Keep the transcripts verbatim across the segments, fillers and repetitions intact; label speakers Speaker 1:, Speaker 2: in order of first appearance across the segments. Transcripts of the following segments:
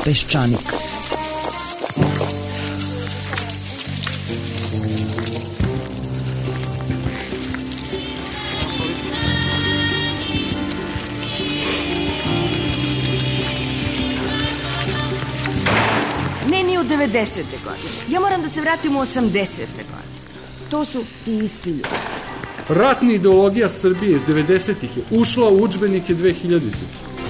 Speaker 1: Peščanik.
Speaker 2: Ne, ni u devedesete godine. Ja moram da se vratim u osamdesete godine. To su ti isti ljudi.
Speaker 3: Ratna ideologija Srbije iz devedesetih je ušla u udžbenike dve hiljaditih.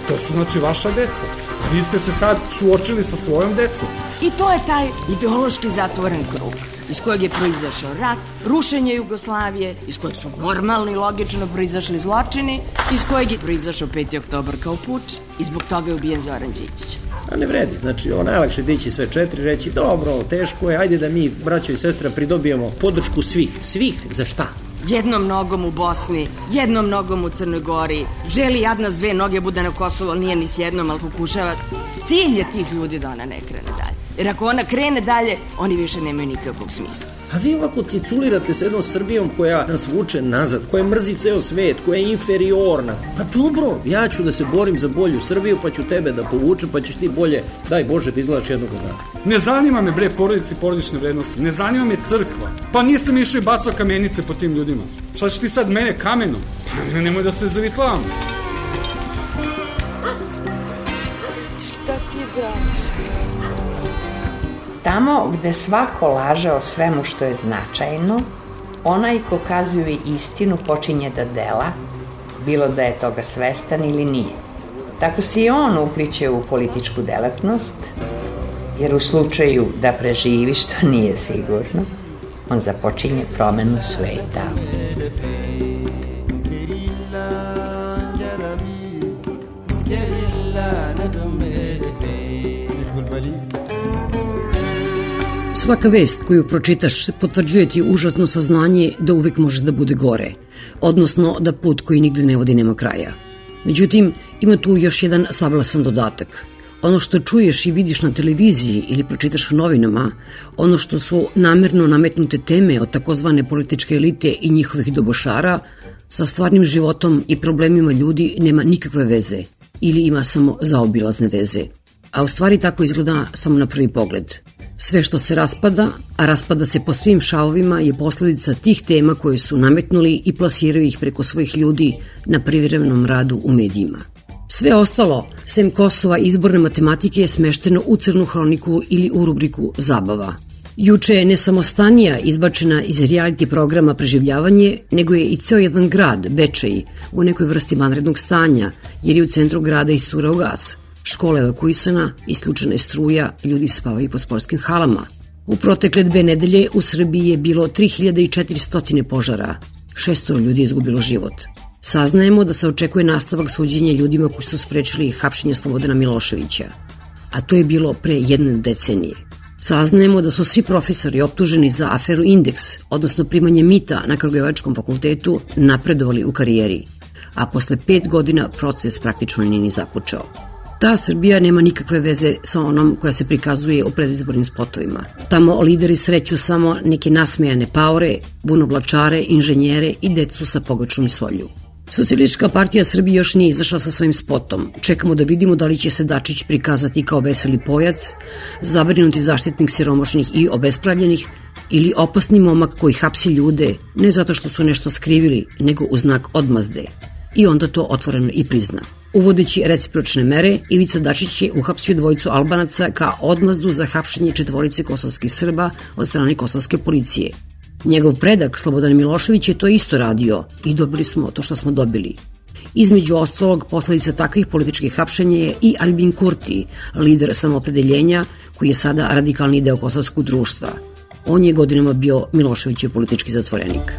Speaker 3: To su znači vaša deca. Vi ste se sad suočili sa svojom decom.
Speaker 2: I to je taj ideološki zatvoren krug iz kojeg je proizašao rat, rušenje Jugoslavije, iz kojeg su normalni i logično proizašli zločini, iz kojeg je proizašao peti oktobar kao puč i zbog toga je ubijen Zoran Đinđić.
Speaker 4: A ne vredi, znači ovo najlakše dići sve četiri, reći dobro, teško je, ajde da mi, braćo i sestra, pridobijemo podršku svih. Svih za šta?
Speaker 2: Jednom nogom u Bosni, jednom nogom u Crnoj Gori, želi jadna s dve noge bude na Kosovo, ali nije ni s jednom, ali pokušava. Cilj je tih ljudi da ona ne krene dalje. Jer ako ona krene dalje, oni više nemaju nikakvog smisla.
Speaker 4: A vi ovako ciculirate s jednom Srbijom koja nas vuče nazad, koja mrzi ceo svet, koja je inferiorna. Pa dobro, ja ću da se borim za bolju Srbiju, pa ću tebe da povučem, pa ćeš ti bolje, daj Bože, da izgledaš jednog dana.
Speaker 3: Ne zanima me, bre, porodice i porodične vrednosti, ne zanima me crkva. Pa nisam išao i bacao kamenice po tim ljudima. Šta će ti sad mene kamenom? Pa nemoj da se zavitlavam.
Speaker 5: Šta ti braniš?
Speaker 6: Tamo gde svako laže o svemu što je značajno, onaj ko kazuje istinu počinje da dela, bilo da je toga svestan ili nije. Tako se i on upliće u političku delatnost, jer u slučaju da preživi, što nije sigurno, on započinje promenu sveta.
Speaker 7: Svaka vest koju pročitaš potvrđuje ti užasno saznanje da uvek može da bude gore, odnosno da put koji nigde ne vodi nema kraja. Međutim, ima tu još jedan sablasan dodatak. Ono što čuješ i vidiš na televiziji ili pročitaš u novinama, ono što su namerno nametnute teme od takozvane političke elite i njihovih dobošara, sa stvarnim životom i problemima ljudi nema nikakve veze ili ima samo zaobilazne veze. A u stvari tako izgleda samo na prvi pogled. Sve što se raspada, a raspada se po svim šavovima, je posledica tih tema koje su nametnuli i plasiraju ih preko svojih ljudi na privremenom radu u medijima. Sve ostalo, sem Kosova i izborne matematike, je smešteno u crnu hroniku ili u rubriku zabava. Juče je ne samo Stanija izbačena iz reality programa Preživljavanje, nego je i ceo jedan grad, Bečej, u nekoj vrsti vanrednog stanja, jer je u centru grada iscurao gas. Škola evakuisana, isključena je struja, ljudi spavaju po sportskim halama. U protekle dve nedelje u Srbiji je bilo tri hiljade četiristo požara, šeststo ljudi je izgubilo život. Saznajemo da se očekuje nastavak suđenja ljudima koji su sprečili hapšenje Slobodana Miloševića, a to je bilo pre jedne decenije. Saznajemo da su svi profesori optuženi za aferu Indeks, odnosno primanje mita na Kragujevačkom fakultetu, napredovali u karijeri, a posle pet godina proces praktično nije ni započeo. Ta Srbija nema nikakve veze sa onom koja se prikazuje u predizbornim spotovima. Tamo lideri sreću samo neke nasmejane paore, bunovlačare, inženjere i decu sa pogačom i solju. Socijalistička partija Srbije još nije izašla sa svojim spotom. Čekamo da vidimo da li će se Dačić prikazati kao veseli pojac, zabrinuti zaštitnik siromašnih i obespravljenih, ili opasni momak koji hapsi ljude ne zato što su nešto skrivili, nego u znak odmazde. I onda to otvoreno i prizna. Uvodeći recipročne mere, Ivica Dačić je uhapsio dvojicu Albanaca kao odmazdu za hapšenje četvorice kosovskih Srba od strane kosovske policije. Njegov predak, Slobodan Milošević, je to isto radio i dobili smo to što smo dobili. Između ostalog, posledica takvih političkih hapšenja je i Albin Kurti, lider samoopredeljenja, koji je sada radikalni deo kosovskog društva. On je godinama bio Miloševićev politički zatvorenik.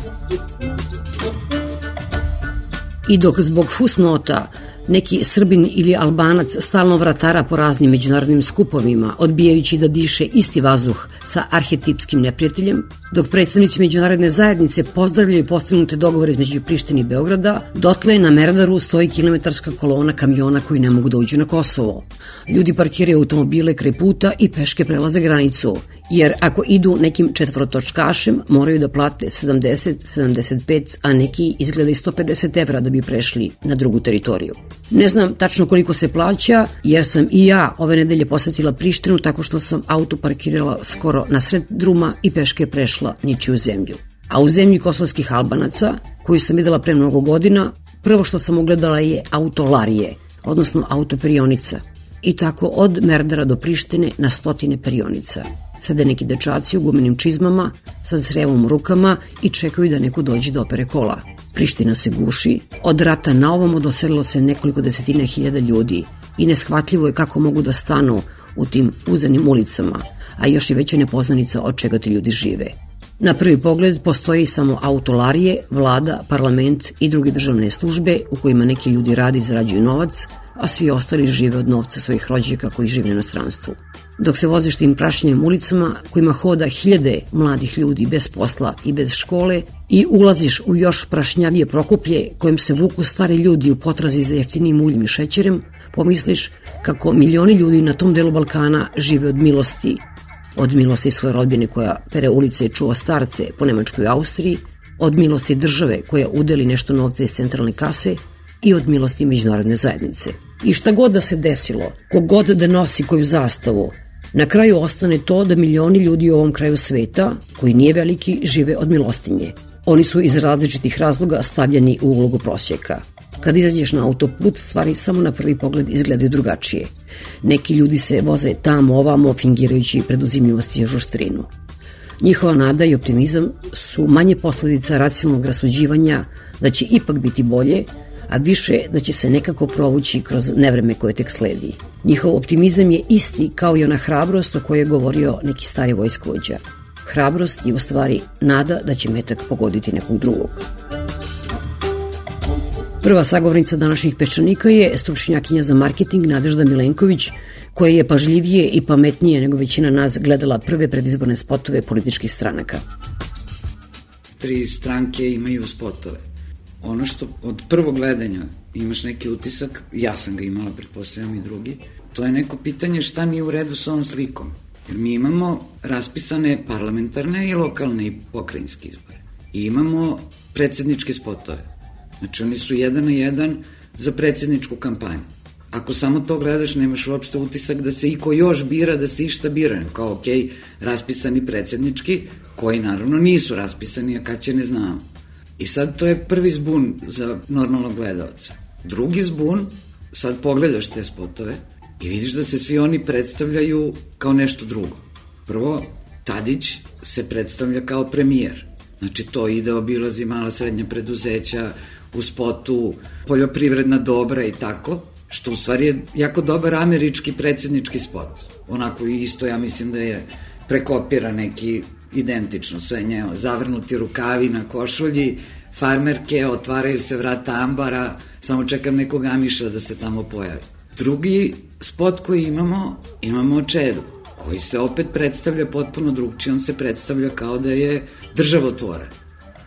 Speaker 7: I dok zbog fusnota neki Srbin ili Albanac stalno vratara po raznim međunarodnim skupovima, odbijajući da diše isti vazduh sa arhetipskim neprijateljem, dok predstavnici međunarodne zajednice pozdravljaju postignute dogovore između Prištine i Beograda, dotle na Merdaru stoji kilometarska kolona kamiona koji ne mogu da uđu na Kosovo. Ljudi parkiraju automobile kraj puta i peške prelaze granicu, Jer ako idu nekim četvorotočkašem, moraju da plate sedamdeset, sedamdeset pet, a neki izgleda i sto pedeset evra da bi prešli na drugu teritoriju. Ne znam tačno koliko se plaća, jer sam i ja ove nedelje posetila Prištinu tako što sam auto parkirala skoro na sred druma i peške prešla ničiju zemlju. A u zemlji kosovskih Albanaca, koju sam videla pre mnogo godina, prvo što sam ugledala je autolarije, odnosno autoperionica. I tako od Merdara do Prištine na stotine perionica. Sede neki dečaci u gumenim čizmama, sa crevom u rukama i čekaju da neko dođe da opere kola. Priština se guši, od rata na ovamo doselilo se nekoliko desetina hiljada ljudi i neshvatljivo je kako mogu da stanu u tim uzenim ulicama, a još je veća nepoznanica od čega ti ljudi žive. Na prvi pogled postoji samo autolarije, vlada, parlament i druge državne službe u kojima neki ljudi radi i zarađuju novac, a svi ostali žive od novca svojih rođaka koji žive u inostranstvu. Dok se voziš tim prašnjevim ulicama kojima hoda hiljade mladih ljudi bez posla i bez škole i ulaziš u još prašnjavije Prokuplje kojim se vuku stari ljudi u potrazi za jeftinim uljem i šećerem, pomisliš kako milioni ljudi na tom delu Balkana žive od milosti, od milosti svoje rodbine koja pere ulice i čuva starce po Nemačkoj i Austriji, od milosti države koja udeli nešto novca iz centralne kase i od milosti međunarodne zajednice. I šta god da se desilo, kogod da nosi koju zastavu, na kraju ostane to da milioni ljudi u ovom kraju sveta, koji nije veliki, žive od milostinje. Oni su iz različitih razloga stavljeni u ulogu prosjeka. Kad izađeš na autoput, stvari samo na prvi pogled izgledaju drugačije. Neki ljudi se voze tamo ovamo, fingirajući preduzimljivost i žuštrinu. Njihova nada i optimizam su manje posledica racionalnog rasuđivanja da će ipak biti bolje, a više da će se nekako provući kroz nevreme koje tek sledi. Njihov optimizam je isti kao i ona hrabrost o kojoj je govorio neki stari vojskovođa. Hrabrost je u stvari nada da će metak pogoditi nekog drugog. Prva sagovornica današnjih Peščanika je stručnjakinja za marketing Nadežda Milenković, koja je pažljivije i pametnije nego većina nas gledala prve predizborne spotove političkih stranaka.
Speaker 1: Tri stranke imaju spotove. Ono što od prvog gledanja imaš neki utisak, ja sam ga imala, pretpostavljam i drugi, to je neko pitanje šta nije u redu sa ovom slikom. Jer mi imamo raspisane parlamentarne i lokalne i pokrajinske izbore. I imamo predsjedničke spotove. Znači oni su jedan na jedan za predsjedničku kampanju. Ako samo to gledaš, nemaš uopšte utisak da se iko još bira, da se išta bira. Kao, ok, raspisani predsjednički, koji naravno nisu raspisani, a kad će ne znamo. I sad to je prvi zbun za normalnog gledalca. Drugi zbun, sad pogledaš te spotove i vidiš da se svi oni predstavljaju kao nešto drugo. Prvo, Tadić se predstavlja kao premijer. Znači to ide, obilazi mala srednja preduzeća, u spotu poljoprivredna dobra i tako, što u stvari je jako dobar američki predsjednički spot. Onako isto ja mislim da je prekopira neki identično sve njeo, zavrnuti rukavi na košulji, farmerke, otvaraju se vrata ambara, samo čekam nekog Amiša da se tamo pojavi. Drugi spot koji imamo, imamo Čedu, koji se opet predstavlja potpuno drugčije, on se predstavlja kao da je državotvoran.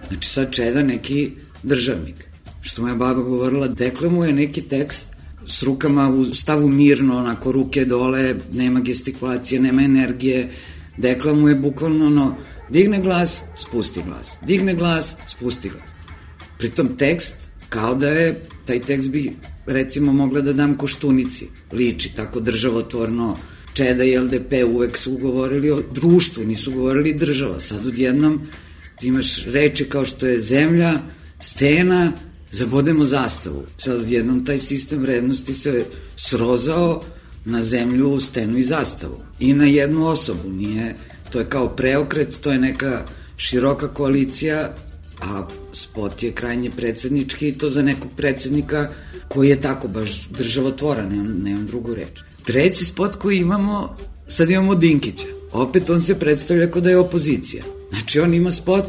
Speaker 1: Znači sad Čeda neki državnik. Što moja baba govorila, deklamuje neki tekst s rukama u stavu mirno, onako ruke dole, nema gestikulacije, nema energije, deklamuje bukvalno ono, digne glas, spusti glas, digne glas, spusti glas. Pritom tekst, kao da je, taj tekst bi recimo mogla da dam Koštunici, liči tako državotvorno, Čeda i L D P uvek su govorili o društvu, nisu govorili država. Sad odjednom ti imaš reči kao što je zemlja, stena, zabodemo zastavu. Sad odjednom taj sistem vrednosti se srozao na zemlju, stenu i zastavu. I na jednu osobu, nije, to je kao preokret, to je neka široka koalicija, a spot je krajnje predsjednički i to za nekog predsjednika koji je tako baš državotvoran, nemam, nemam drugu reč. Treći spot koji imamo, sad imamo Dinkića. Opet on se predstavlja kao da je opozicija. Znači on ima spot,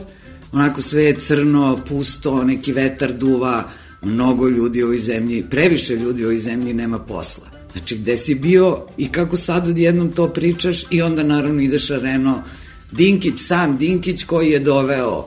Speaker 1: onako sve je crno, pusto, neki vetar duva, mnogo ljudi u ovoj zemlji, previše ljudi u ovoj zemlji nema posla. Znači gde si bio i kako sad odjednom to pričaš i onda naravno ideš areno Dinkić, sam Dinkić koji je doveo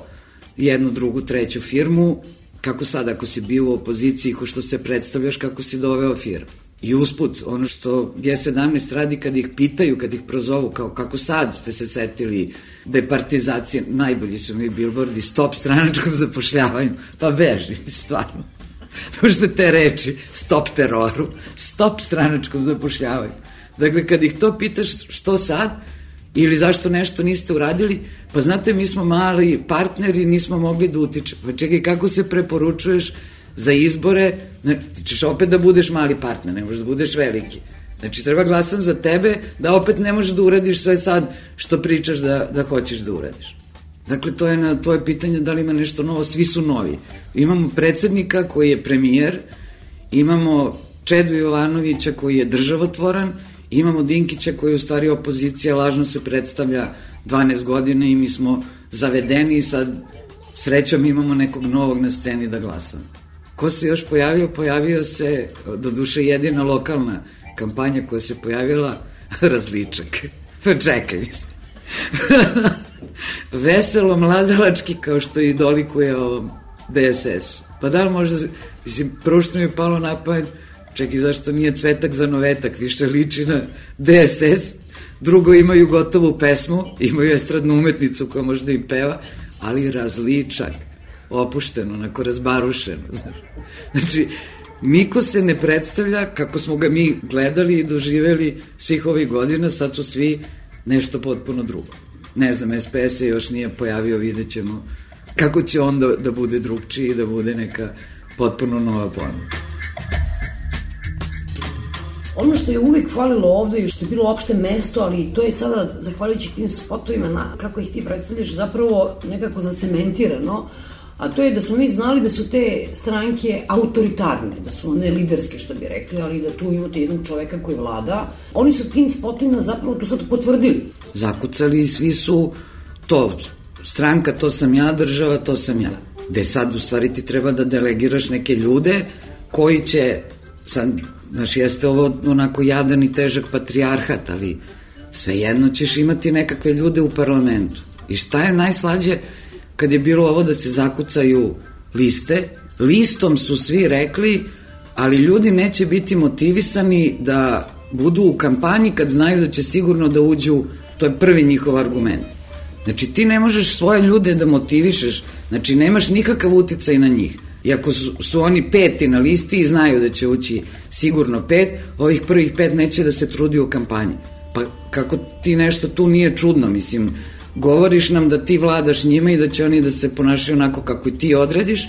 Speaker 1: jednu, drugu, treću firmu, kako sad ako si bio u opoziciji, ko što se predstavljaš kako si doveo firmu. I usput, ono što G sedamnaest radi kad ih pitaju, kad ih prozovu, kao kako sad ste se setili departizacije, najbolji su mi bilbordi, stop stranačkom zapošljavanju, pa beži, stvarno. Možete te reči, stop teroru, stop stranačkom zapošljavanju. Dakle, kad ih to pitaš što sad, ili zašto nešto niste uradili, pa znate, mi smo mali partneri, nismo mogli da utičemo. Pa čekaj, kako se preporučuješ za izbore, ti ćeš opet da budeš mali partner, ne možeš da budeš veliki. Znači, treba glasam za tebe, da opet ne možeš da uradiš sve sad što pričaš da, da hoćeš da uradiš. Dakle, to je na tvoje pitanje da li ima nešto novo, svi su novi. Imamo predsednika koji je premijer, imamo Čedu Jovanovića koji je državotvoran, imamo Dinkića koji je u stvari opozicija, lažno se predstavlja dvanaest godina i mi smo zavedeni i sad srećom imamo nekog novog na sceni da glasamo. Ko se još pojavio? Pojavio se, do duše, jedina lokalna kampanja koja se pojavila, Različak. Pa čekaj, mislim. Veselo mladalački, kao što i dolikuje ovom D S S. Pa da li možda, mislim, prvo što mi je palo na pamet, čekaj, zašto nije Cvetak za Novetak, više liči na D S S, drugo, imaju gotovu pesmu, imaju estradnu umetnicu koja možda im peva, ali Različak, opušteno, onako razbarušeno, znaš. Znači, niko se ne predstavlja kako smo ga mi gledali i doživeli svih ovih godina, sad su svi nešto potpuno drugo. Ne znam, S P S se još nije pojavio, vidjet ćemo kako će on da, da bude drugčiji i da bude neka potpuno nova ponuda.
Speaker 8: Ono što je uvek falilo ovde i što je bilo opšte mesto, ali to je sada, zahvaljujući tim spotovima, na, kako ih ti predstavljaš, zapravo nekako zacementirano, a to je da smo mi znali da su te stranke autoritarne, da su one liderske, što bi rekli, ali da tu imate jednog čoveka koji vlada. Oni su tim spotovima zapravo to sad potvrdili.
Speaker 1: Zakucali i svi su to, stranka to sam ja, država to sam ja. Gde sad u stvari ti treba da delegiraš neke ljude koji će, sad, znaš, jeste ovo onako jadan i težak patrijarhat, ali svejedno ćeš imati nekakve ljude u parlamentu. I šta je najslađe kad je bilo ovo da se zakucaju liste, listom su svi rekli, ali ljudi neće biti motivisani da budu u kampanji kad znaju da će sigurno da uđu, to je prvi njihov argument. Znači ti ne možeš svoje ljude da motivišeš, znači nemaš nikakav uticaj na njih. Iako su, su oni peti na listi i znaju da će ući sigurno pet, ovih prvih pet neće da se trudi u kampanji. Pa kako ti nešto tu nije čudno, mislim, govoriš nam da ti vladaš njima i da će oni da se ponašaju onako kako i ti odrediš,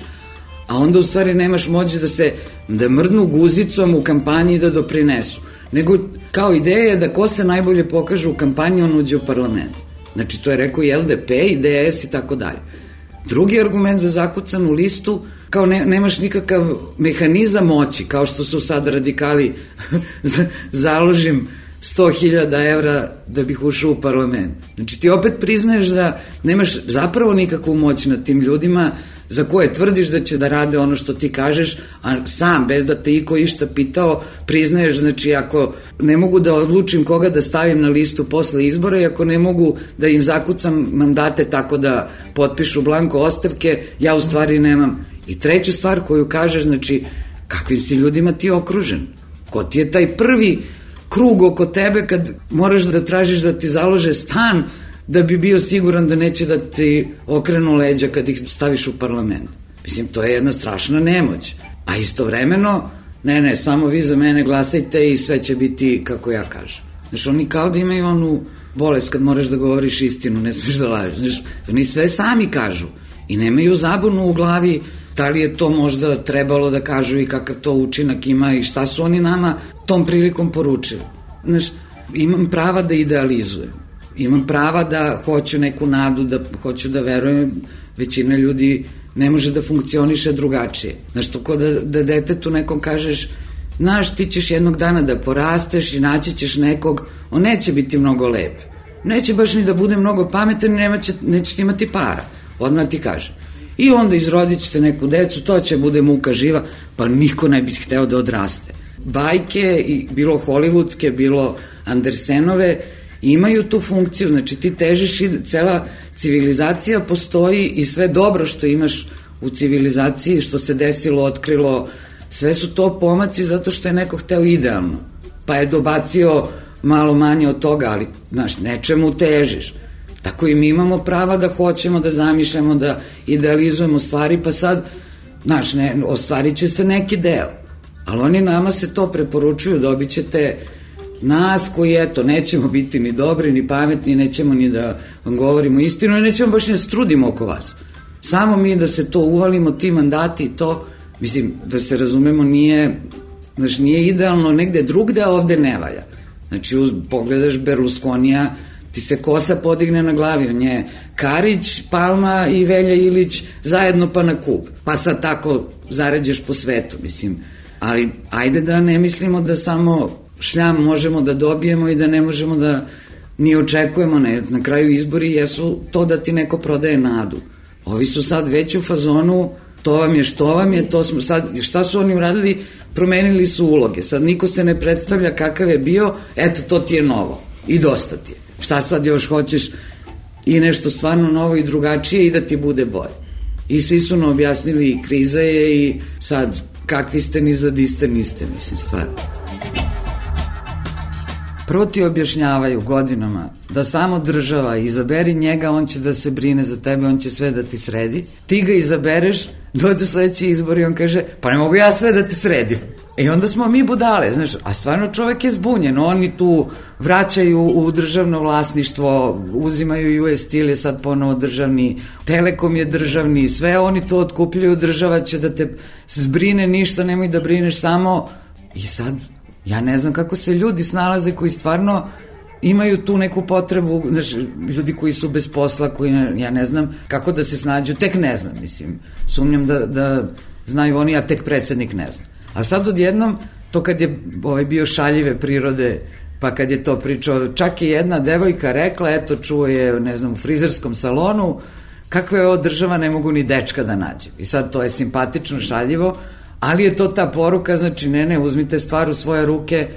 Speaker 1: a onda u stvari nemaš moć da se, da mrdnu guzicom u kampanji i da doprinesu. Nego kao ideja je da ko se najbolje pokaže u kampanji, on uđe u parlament. Znači to je rekao i L D P i D S i tako dalje. Drugi argument za zakucanu listu, kao ne, nemaš nikakav mehanizam moći, kao što su sad radikali založim sto hiljada evra da bih ušao u parlament. Znači ti opet priznaješ da nemaš zapravo nikakvu moć nad tim ljudima za koje tvrdiš da će da rade ono što ti kažeš, a sam, bez da te iko išta pitao, priznaješ, znači ako ne mogu da odlučim koga da stavim na listu posle izbora i ako ne mogu da im zakucam mandate tako da potpišu blanko ostavke, ja u stvari nemam. I treća stvar koju kažeš, znači kakvim si ljudima ti okružen? Ko ti je taj prvi krug oko tebe kad moraš da tražiš da ti založe stan da bi bio siguran da neće da ti okrenu leđa kad ih staviš u parlament. Mislim, to je jedna strašna nemoć. A istovremeno, ne, ne, samo vi za mene glasajte i sve će biti kako ja kažem. Znaš, oni kao da imaju onu bolest kad moraš da govoriš istinu, ne smiješ da lažeš. Znaš, oni sve sami kažu i nemaju zabunu u glavi da li je to možda trebalo da kažu i kakav to učinak ima i šta su oni nama tom prilikom poručili. Znaš, imam prava da idealizujem. Imam prava da hoću neku nadu, da hoću da verujem, većina ljudi ne može da funkcioniše drugačije. Znaš, to ko da, da detetu nekom kažeš, znaš, ti ćeš jednog dana da porasteš i naći ćeš nekog, on neće biti mnogo lep. Neće baš ni da bude mnogo pametan i neće, nećete imati para. Odmah ti kaže. I onda izrodit ćete neku decu, to će bude muka živa, pa niko ne bi hteo da odraste. Bajke, bilo hollywoodske, bilo Andersenove, imaju tu funkciju, znači ti težiš i cela civilizacija postoji i sve dobro što imaš u civilizaciji, što se desilo, otkrilo, sve su to pomaci zato što je neko hteo idealno, pa je dobacio malo manje od toga, ali, znaš, nečemu težiš. Tako i mi imamo prava da hoćemo, da zamišljamo, da idealizujemo stvari, pa sad, znaš, ne, ostvarit će se neki deo. Ali oni nama se to preporučuju, dobit ćete nas koji, eto, nećemo biti ni dobri, ni pametni, nećemo ni da vam govorimo istinu, i nećemo baš ni da strudimo oko vas. Samo mi da se to uvalimo, ti mandati i to, mislim, da se razumemo, nije, znaš, nije idealno negde drugde, a ovde ne valja. Znači, uz, pogledaš Berlusconija, ti se kosa podigne na glavi, on je Karić, Palma i Velja Ilić zajedno pa na kup. Pa sad tako zaređeš po svetu, mislim. Ali ajde da ne mislimo da samo šljam možemo da dobijemo i da ne možemo da ni očekujemo. Ne. Na kraju izbori jesu to da ti neko prodaje nadu. Ovi su sad već u fazonu, to vam je što vam je, to smo sad, šta su oni uradili? Promenili su uloge. Sad niko se ne predstavlja kakav je bio, eto, to ti je novo i dosta ti je. Šta sad još hoćeš i nešto stvarno novo i drugačije i da ti bude bolje. I svi su nam objasnili i kriza je i sad kakvi ste ni za di ste niste, mislim, stvarno. Prvo ti objašnjavaju godinama da samo država izaberi njega, on će da se brine za tebe, on će sve da ti sredi. Ti ga izabereš, dođu sledeći izbor i on kaže, pa ne mogu ja sve da te sredim. I onda smo mi budale, znaš, a stvarno čovek je zbunjen, oni tu vraćaju u državno vlasništvo, uzimaju U S Steel je sad ponovo državni, Telekom je državni, sve oni to otkupljuju, država će da te zbrine, ništa nemoj da brineš, samo i sad, ja ne znam kako se ljudi snalaze koji stvarno imaju tu neku potrebu, znaš, ljudi koji su bez posla, koji, ja ne znam kako da se snađu, tek ne znam, mislim, sumnjam da, da znaju oni, a tek predsednik ne zna. A sad odjednom, to kad je ovaj, bio šaljive prirode, pa kad je to pričao, čak je jedna devojka rekla, eto čuo je, ne znam, u frizerskom salonu, kakva je ovo država, ne mogu ni dečka da nađe. I sad to je simpatično, šaljivo, ali je to ta poruka, znači ne, ne, uzmite stvar u svoje ruke,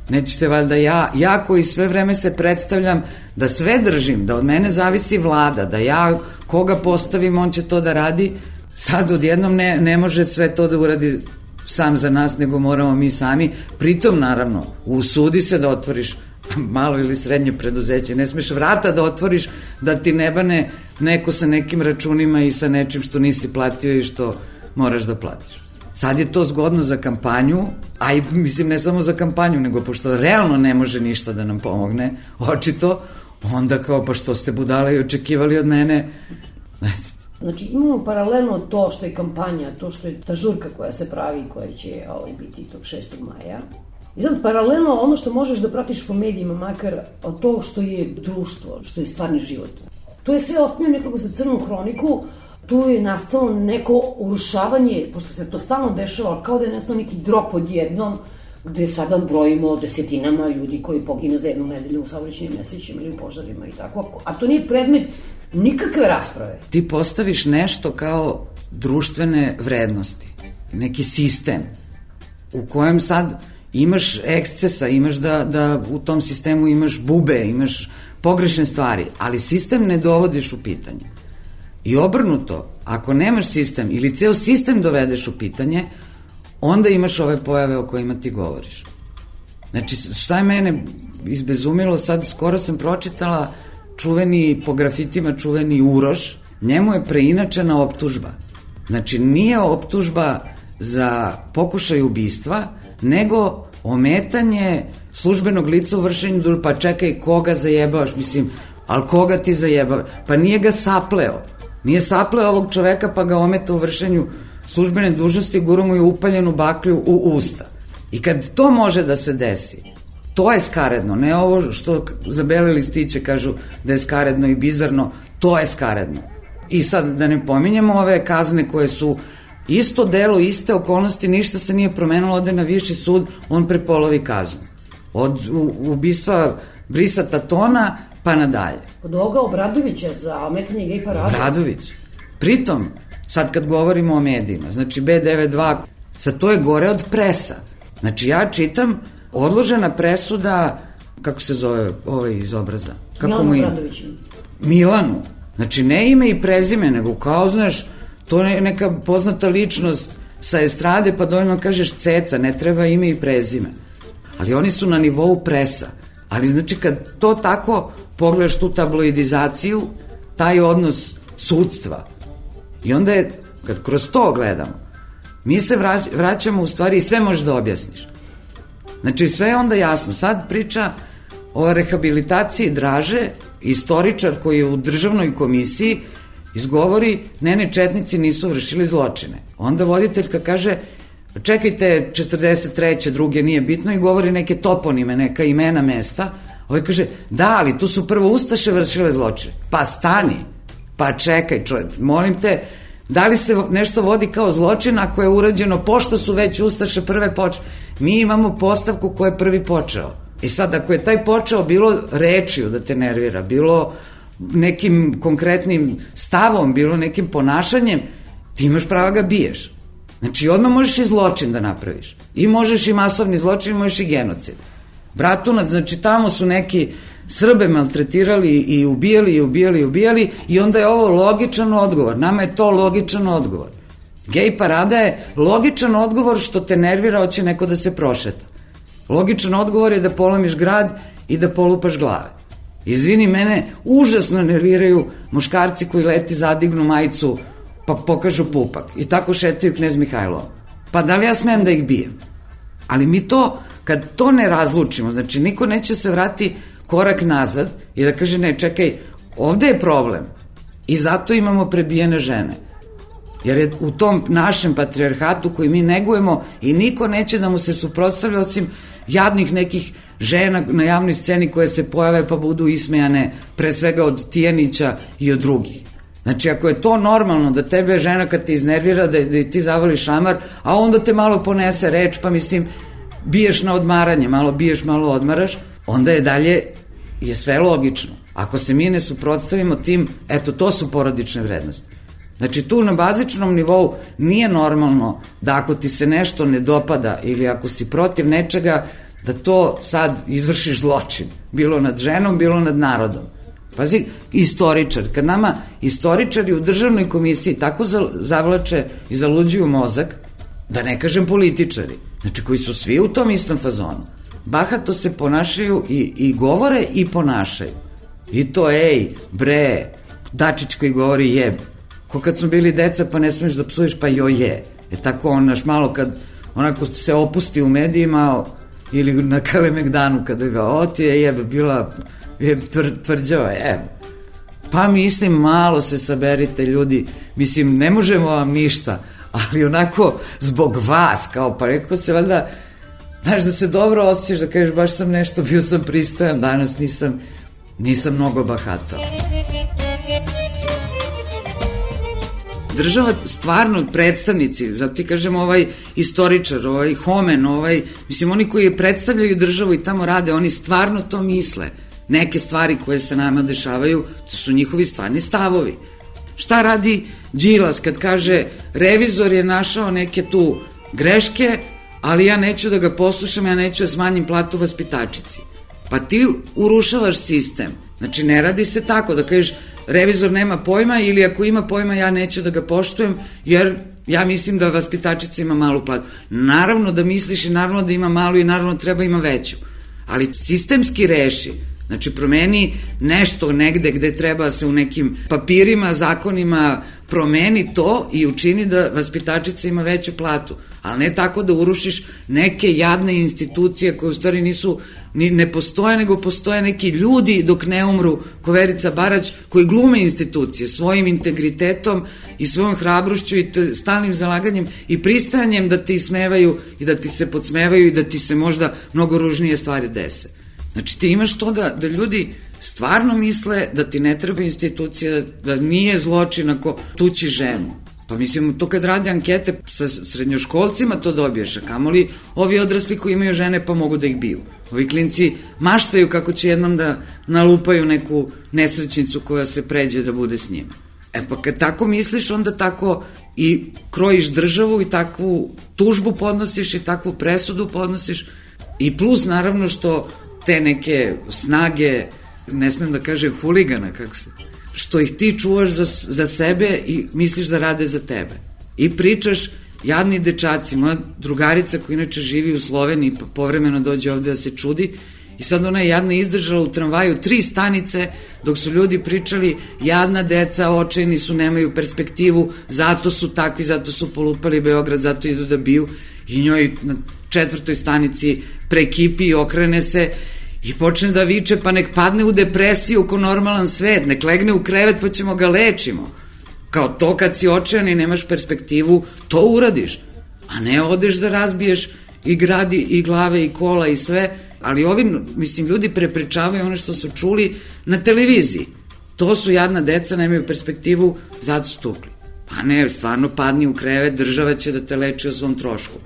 Speaker 1: nećete valjda ja, ja koji sve vreme se predstavljam da sve držim, da od mene zavisi vlada, da ja koga postavim, on će to da radi, sad odjednom ne, ne može sve to da uradi sam za nas, nego moramo mi sami. Pritom, naravno, usudi se da otvoriš malo ili srednje preduzeće. Ne smeš vrata da otvoriš da ti ne bane neko sa nekim računima i sa nečim što nisi platio i što moraš da platiš. Sad je to zgodno za kampanju, a i mislim ne samo za kampanju, nego pošto realno ne može ništa da nam pomogne, očito, onda kao pa što ste budale i očekivali od mene.
Speaker 8: Znači imamo paralelno to što je kampanja, to što je ta žurka koja se pravi, koja će ovaj, biti tog šestog maja. I sad paralelno ono što možeš da pratiš po medijima, makar od to što je društvo, što je stvarni život. To je sve osnovno nekako za crnu hroniku, tu je nastalo neko urušavanje, pošto se to stalno dešava, kao da je nastalo neki drop odjednom, gde sada brojimo desetinama ljudi koji pogine za jednu nedelju u saobraćajnim nesrećima ili u požarima i tako. A to nije predmet nikakve rasprave.
Speaker 1: Ti postaviš nešto kao društvene vrednosti, neki sistem u kojem sad imaš ekscesa, imaš da, da u tom sistemu imaš bube, imaš pogrešne stvari, ali sistem ne dovodiš u pitanje. I obrnuto, ako nemaš sistem ili ceo sistem dovedeš u pitanje, onda imaš ove pojave o kojima ti govoriš. Znači, šta je mene izbezumilo, sad skoro sam pročitala čuveni, po grafitima čuveni Uroš, njemu je preinačena optužba. Znači, nije optužba za pokušaj ubistva, nego ometanje službenog lica u vršenju dužnosti. Pa čekaj, koga zajebavaš, mislim, ali koga ti zajebavaš? Pa nije ga sapleo. Nije sapleo ovog čoveka pa ga ometa u vršenju službene dužnosti, guru mu je upaljenu baklju u usta. I kad to može da se desi, to je skaredno, ne ovo što za bele listiće kažu da je skaredno i bizarno, to je skaredno. I sad da ne pominjemo ove kazne koje su isto delo, iste okolnosti, ništa se nije promenilo, ode na viši sud, on prepolovi kaznu. Od ubistva Brisa Tatona pa nadalje.
Speaker 8: Od ovoga Obradovića za ometanje gej parade.
Speaker 1: Obradović. Pritom, sad kad govorimo o medijima, znači B devedeset dva, sad to je gore od presa. Znači ja čitam odložena presuda, kako se zove ovaj iz Obraza? Kako
Speaker 8: Milanu
Speaker 1: mu ime?
Speaker 8: Obradoviću.
Speaker 1: Milanu. Znači ne ime i prezime, nego kao, znaš, to je neka poznata ličnost sa estrade pa dovoljno kažeš ceca, ne treba ime i prezime. Ali oni su na nivou presa. Ali znači kad to tako pogledaš tu tabloidizaciju, taj odnos sudstva, i onda je, kad kroz to gledamo, mi se vraćamo u stvari i sve možeš da objasniš. Znači sve je onda jasno. Sad priča o rehabilitaciji Draže, istoričar koji je u državnoj komisiji izgovori, ne, ne, četnici nisu vršili zločine. Onda voditeljka kaže, čekajte, četrdeset treće, druge, nije bitno, i govori neke toponime, neka imena mesta. Ovaj kaže, da, ali tu su prvo ustaše vršile zločine. Pa stani, pa čekaj čovjek, molim te, da li se nešto vodi kao zločin ako je urađeno, pošto su već ustaše prve počele? Mi imamo postavku ko je prvi počeo. I sad, ako je taj počeo bilo rečiju da te nervira, bilo nekim konkretnim stavom, bilo nekim ponašanjem, ti imaš prava ga biješ. Znači, odmah možeš i zločin da napraviš. I možeš i masovni zločin, možeš i genocid. Bratunac, znači, tamo su neki Srbe maltretirali i ubijali i ubijali i ubijali i onda je ovo logičan odgovor. Nama je to logičan odgovor. Gej parada je logičan odgovor što te nervira, hoće neko da se prošeta. Logičan odgovor je da polamiš grad i da polupaš glave. Izvini, mene užasno nerviraju muškarci koji leti, zadignu majicu pa pokažu pupak i tako šetaju Knez Mihajlova. Pa da li ja smem da ih bijem? Ali mi to, kad to ne razlučimo, znači niko neće se vrati korak nazad i da kaže, ne, čekaj, ovde je problem i zato imamo prebijene žene. Jer je u tom našem patrijarhatu koji mi negujemo i niko neće da mu se suprotstavlja osim jadnih nekih žena na javnoj sceni koje se pojave pa budu ismejane pre svega od Tijanića i od drugih. Znači, ako je to normalno da tebe žena kad te iznervira, da, da ti zavoli šamar, a onda te malo ponese reč, pa mislim, biješ na odmaranje, malo biješ, malo odmaraš, onda je dalje, je sve logično. Ako se mi ne suprotstavimo tim, eto, to su porodične vrednosti. Znači, tu na bazičnom nivou nije normalno da ako ti se nešto ne dopada ili ako si protiv nečega, da to sad izvršiš zločin. Bilo nad ženom, bilo nad narodom. Pazi, istoričar. Kad nama istoričari u državnoj komisiji tako zavlače i zaluđuju mozak, da ne kažem političari, znači koji su svi u tom istom fazonu, bahato se ponašaju i, i govore i ponašaju. I to, ej, bre, Dačić koji govori jeb. Ko kad smo bili deca pa ne smiješ da psuješ, pa joj je. E tako on naš malo kad onako se opusti u medijima ili na Kalemegdanu kada ga o ti je jeb bila je tvr, tvrđava, jeb. Pa mislim, malo se saberite ljudi, mislim, ne možemo vam ništa, ali onako zbog vas, kao pa rekao se valjda, znaš da se dobro osjećaš, da kažeš baš sam nešto, bio sam pristojan, danas nisam, nisam mnogo bahatao. Država stvarno predstavnici, zato ti kažem ovaj istoričar, ovaj homen, ovaj, mislim oni koji predstavljaju državu i tamo rade, oni stvarno to misle. Neke stvari koje se nama dešavaju, to su njihovi stvarni stavovi. Šta radi Đilas kad kaže revizor je našao neke tu greške, ali ja neću da ga poslušam, ja neću da smanjim platu vaspitačici. Pa ti urušavaš sistem. Znači ne radi se tako da kažeš revizor nema pojma ili ako ima pojma ja neću da ga poštujem jer ja mislim da vaspitačica ima malu platu. Naravno da misliš i naravno da ima malu i naravno treba ima veću. Ali sistemski reši, znači promeni nešto negde gde treba se u nekim papirima, zakonima promeni to i učini da vaspitačica ima veću platu. Ali ne tako da urušiš neke jadne institucije koje u stvari nisu, ni, ne postoje, nego postoje neki ljudi dok ne umru, ko Verica Barać, koji glume institucije svojim integritetom i svojom hrabrošću i stalnim zalaganjem i pristajanjem da ti ismevaju i da ti se podsmevaju i da ti se možda mnogo ružnije stvari dese. Znači ti imaš to da, da ljudi stvarno misle da ti ne treba institucija, da nije zločin ako tući ženu. Pa mislim, to kad rade ankete sa srednjoškolcima to dobiješ, a kamoli ovi odrasli koji imaju žene pa mogu da ih biju. Ovi klinci maštaju kako će jednom da nalupaju neku nesrećnicu koja se pređe da bude s njima. E pa kad tako misliš, onda tako i krojiš državu i takvu tužbu podnosiš i takvu presudu podnosiš i plus naravno što te neke snage, ne smem da kažem huligana, kako se, što ih ti čuvaš za, za sebe i misliš da rade za tebe. I pričaš jadni dečaci, moja drugarica koja inače živi u Sloveniji, pa povremeno dođe ovde da se čudi, i sad ona je jadna izdržala u tramvaju tri stanice dok su ljudi pričali jadna deca, očajni su, nemaju perspektivu, zato su takvi, zato su polupali Beograd, zato idu da biju, i njoj na četvrtoj stanici prekipi i okrene se i počne da viče, pa nek padne u depresiju ko normalan svet, nek legne u krevet pa ćemo ga lečimo. Kao to kad si očajan i nemaš perspektivu, to uradiš, a ne odeš da razbiješ i gradi i glave i kola i sve, ali ovi, mislim, ljudi prepričavaju ono što su čuli na televiziji. To su jadna deca, nemaju perspektivu, zato su tukli. Pa ne, stvarno padni u krevet, država će da te leči o svom trošku.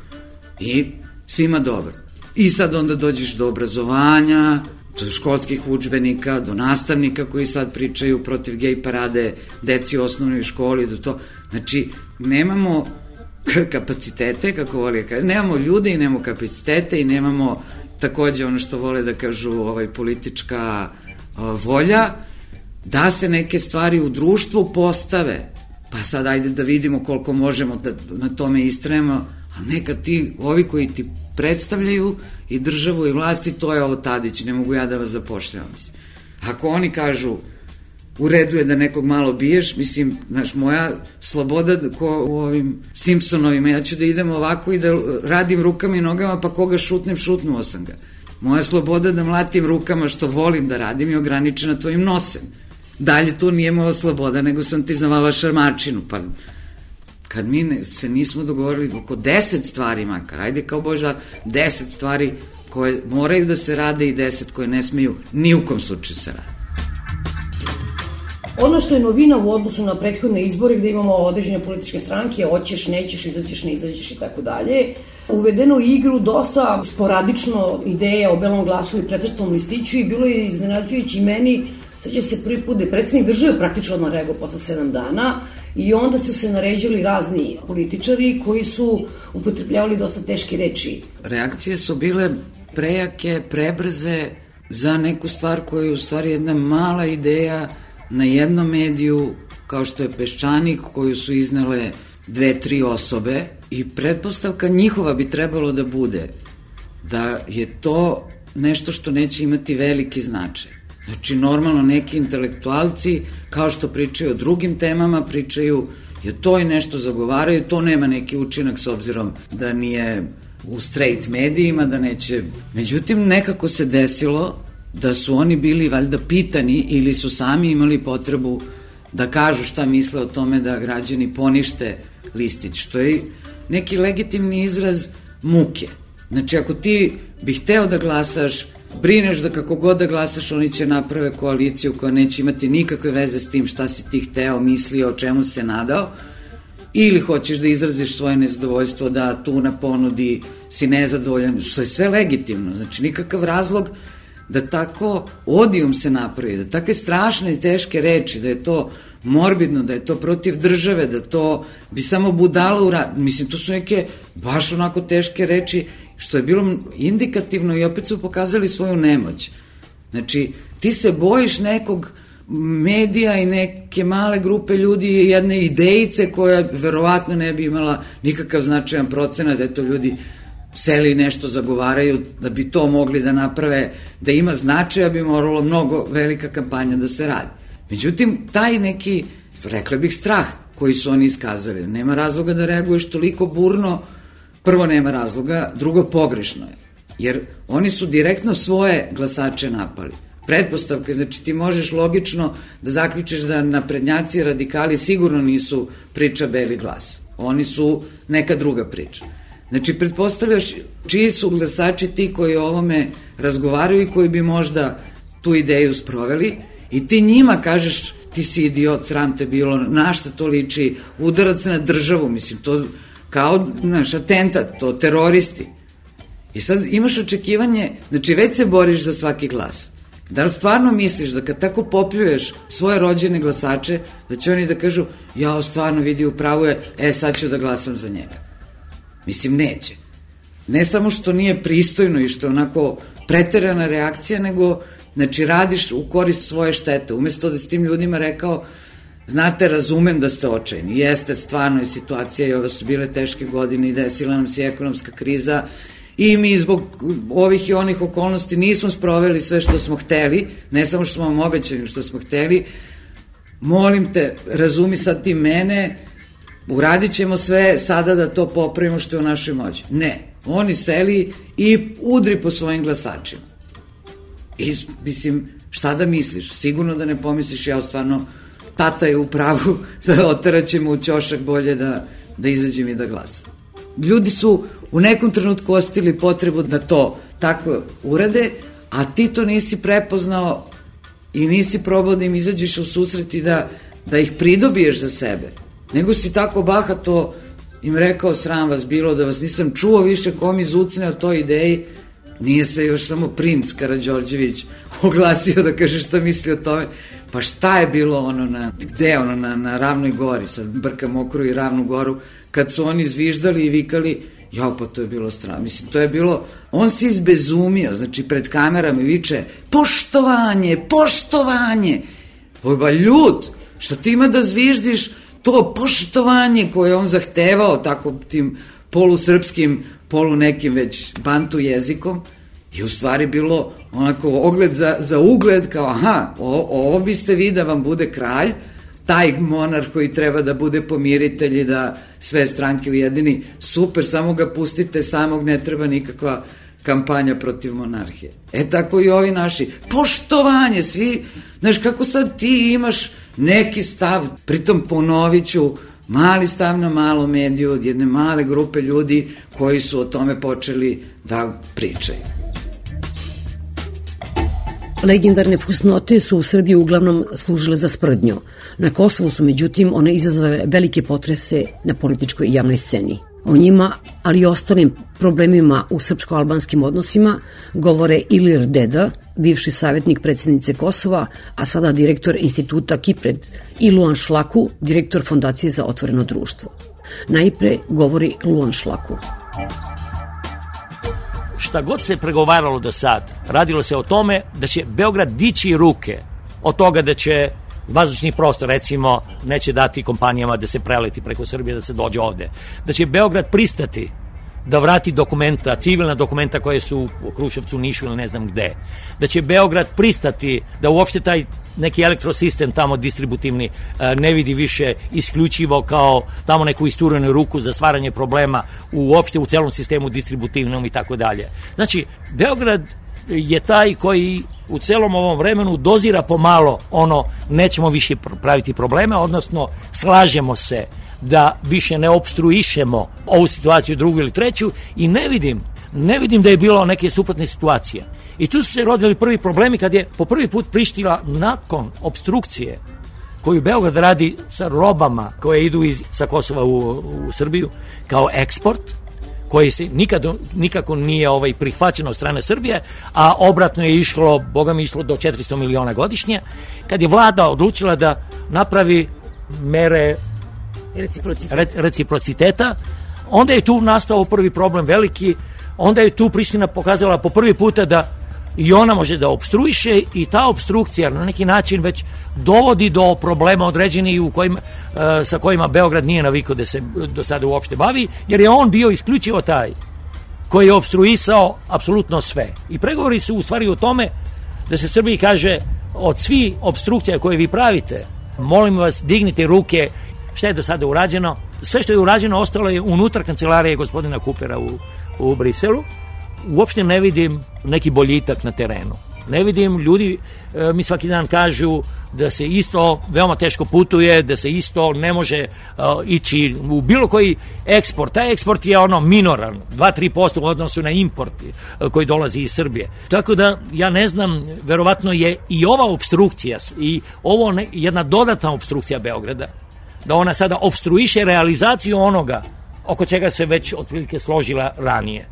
Speaker 1: I svima dobro. I sad onda dođeš do obrazovanja, do školskih udžbenika, do nastavnika koji sad pričaju protiv gej parade, deci u osnovnoj školi, do to. Znači, nemamo kapacitete, kako voli da kaže, nemamo ljude i nemamo kapacitete i nemamo takođe ono što vole da kažu ovaj, politička o, volja, da se neke stvari u društvu postave. Pa sad ajde da vidimo koliko možemo da na tome istrajemo, a neka ti, ovi koji ti predstavljaju i državu i vlasti, to je ovo Tadić, ne mogu ja da vas zapošljavam. Mislim. Ako oni kažu u redu je da nekog malo biješ, mislim, znaš, moja sloboda ko u ovim Simpsonovima, ja ću da idem ovako i da radim rukama i nogama, pa koga šutnem, šutnuo sam ga. Moja sloboda da mlatim rukama što volim da radim je ograničena tvojim nosem. Dalje to nije moja sloboda, nego sam ti zavala šarmačinu, pa kad mi ne, se nismo dogovorili oko deset stvari makar, ajde kao bož da deset stvari koje moraju da se rade i deset koje ne smeju ni u kom slučaju se rade.
Speaker 8: Ono što je novina u odnosu na prethodne izbore gde imamo određene političke stranke, hoćeš, nećeš, izađeš, ne izađeš i tako dalje, uvedeno u igru dosta sporadično ideja o belom glasu i precrtanom listiću i bilo je iznenađujući meni, sad će se prvi put da je predsjednik države praktično odmah reagovao posle sedam dana i onda su se naređali razni političari koji su upotrebljavali dosta teške reči.
Speaker 1: Reakcije su bile prejake, prebrze za neku stvar koja je u stvari jedna mala ideja na jednom mediju, kao što je Peščanik, koju su iznele dve, tri osobe i pretpostavka njihova bi trebalo da bude da je to nešto što neće imati veliki značaj. Znači, normalno neki intelektualci, kao što pričaju o drugim temama, pričaju, je to i nešto zagovaraju, to nema neki učinak s obzirom da nije u straight medijima, da neće... Međutim, nekako se desilo da su oni bili valjda pitani ili su sami imali potrebu da kažu šta misle o tome da građani ponište listić, što je neki legitimni izraz muke. Znači, ako ti bi hteo da glasaš, brineš da kako god da glasaš, oni će naprave koaliciju koja neće imati nikakve veze s tim šta si ti hteo, mislio, o čemu se nadao, ili hoćeš da izraziš svoje nezadovoljstvo da tu na ponudi si nezadovoljan, što je sve legitimno, znači nikakav razlog da tako odijum se napravi, da takve strašne i teške reči, da je to morbidno, da je to protiv države, da to bi samo budalo u rad. Mislim, to su neke baš onako teške reči, što je bilo indikativno i opet su pokazali svoju nemoć. Znači, ti se bojiš nekog medija i neke male grupe ljudi i jedne idejice koja verovatno ne bi imala nikakav značajan procenat, da je to ljudi seli nešto zagovaraju, da bi to mogli da naprave, da ima značaja, bi moralo mnogo velika kampanja da se radi. Međutim, taj neki, rekla bih, strah koji su oni iskazali, nema razloga da reaguješ toliko burno, prvo nema razloga, drugo pogrešno je, jer oni su direktno svoje glasače napali. Pretpostavka, znači ti možeš logično da zaključiš da naprednjaci i radikali sigurno nisu priča beli glas, oni su neka druga priča. Znači, pretpostavljaš čiji su glasači ti koji o ovome razgovaraju i koji bi možda tu ideju sproveli i ti njima kažeš ti si idiot, sram te bilo, na šta to liči, udarac na državu, mislim, to kao, znaš, atentat, to teroristi. I sad imaš očekivanje, znači već se boriš za svaki glas. Da li stvarno misliš da kad tako popljuješ svoje rođene glasače, da će oni da kažu, ja stvarno vidi u pravu je, e sad ću da glasam za njega. Mislim, neće. Ne samo što nije pristojno i što je onako preterana reakcija, nego, znači, radiš u korist svoje štete. Umesto da s tim ljudima rekao, znate, razumem da ste očajni, jeste, stvarno je situacija i ove su bile teške godine i desila nam se ekonomska kriza i mi zbog ovih i onih okolnosti nismo sproveli sve što smo hteli, ne samo što smo vam obećali, što smo hteli. Molim te, razumi sad ti mene, uradit ćemo sve sada da to popravimo što je u našoj moći. Ne, oni seli i udri po svojim glasačima. I, mislim, šta da misliš? Sigurno da ne pomisliš, ja stvarno, tata je u pravu, oterat ćemo u ćošak, bolje da, da izađem i da glasam. Ljudi su u nekom trenutku ostili potrebu da to tako urade, a ti to nisi prepoznao i nisi probao da im izađeš u susret i da, da ih pridobiješ za sebe. Nego si tako bahato im rekao, sram vas bilo, da vas nisam čuo više ko mi zucne o toj ideji. Nije se još samo princ Karađorđević oglasio da kaže šta misli o tome. Pa šta je bilo ono na, gde ono, na, na Ravnoj gori, sad brkam Mokru i Ravnu goru, kad su oni zviždali i vikali, jao, pa to je bilo strano. Mislim, to je bilo, on se izbezumio, znači pred kamerama viče, poštovanje, poštovanje. Ba ljud, što ti ima da zviždiš to poštovanje koje on zahtevao tako tim polusrpskim, polu nekim već bantu jezikom, i u stvari bilo onako ogled za, za ugled, kao aha, o, ovo biste vi da vam bude kralj, taj monarh koji treba da bude pomiritelj i da sve stranke ujedini, super, samo ga pustite samog, ne treba nikakva kampanja protiv monarhije. E tako i ovi naši, poštovanje, svi, znaš kako sad ti imaš neki stav, pritom ponovit ću, mali stav na malo mediju od jedne male grupe ljudi koji su o tome počeli da pričaju.
Speaker 7: Legendarne fusnote su u Srbiji uglavnom služile za sprdnju. Na Kosovu su, međutim, one izazvale velike potrese na političkoj i javnoj sceni. O njima, ali i ostalim problemima u srpsko-albanskim odnosima, govore Ilir Deda, bivši savjetnik predsjednice Kosova, a sada direktor instituta Kipred, i Luan Šlaku, direktor Fondacije za otvoreno društvo. Najpre govori Luan Šlaku.
Speaker 9: Šta god se pregovaralo do sad, radilo se o tome da će Beograd dići ruke od toga da će vazdušni prostor, recimo, neće dati kompanijama da se preleti preko Srbije, da se dođe ovde. Da će Beograd pristati da vrati dokumenta, civilna dokumenta koje su u Kruševcu, Nišu ili ne znam gde. Da će Beograd pristati da uopšte taj neki elektrosistem tamo distributivni ne vidi više isključivo kao tamo neku isturenu ruku za stvaranje problema uopšte u celom sistemu distributivnom i tako dalje. Znači, Beograd je taj koji u celom ovom vremenu dozira pomalo ono, nećemo više praviti probleme, odnosno slažemo se da više ne opstruišemo ovu situaciju, drugu ili treću, i ne vidim, ne vidim da je bilo neke suprotne situacije. I tu su se rodili prvi problemi kad je po prvi put Priština nakon opstrukcije koju Beograd radi sa robama koje idu iz, sa Kosova u, u Srbiju kao eksport, koji se nikad, nikako nije ovaj prihvaćeno od strane Srbije, a obratno je išlo, boga mi išlo do četiristo miliona godišnje, kad je vlada odlučila da napravi mere reciprociteta, re, reciprociteta, onda je tu nastao prvi problem veliki, onda je tu Priština pokazala po prvi puta da i ona može da opstruiše, i ta opstrukcija na neki način već dovodi do problema određenih u kojima, sa kojima Beograd nije navikao da se do sada uopšte bavi, jer je on bio isključivo taj koji je opstruisao apsolutno sve. I pregovori su u stvari o tome da se Srbiji kaže, od svih opstrukcija koje vi pravite, molim vas, dignite ruke. Šta je do sada urađeno? Sve što je urađeno ostalo je unutar kancelarije gospodina Kupera u, u Briselu. Uopšte ne vidim neki boljitak na terenu. Ne vidim, ljudi e, mi svaki dan kažu da se isto veoma teško putuje, da se isto ne može e, ići u bilo koji eksport. Taj eksport je ono minoran, dva do tri posto u odnosu na import e, koji dolazi iz Srbije. Tako da ja ne znam, verovatno je i ova opstrukcija i ovo ne, jedna dodatna opstrukcija Beograda, da ona sada opstruiše realizaciju onoga oko čega se već otprilike složila ranije.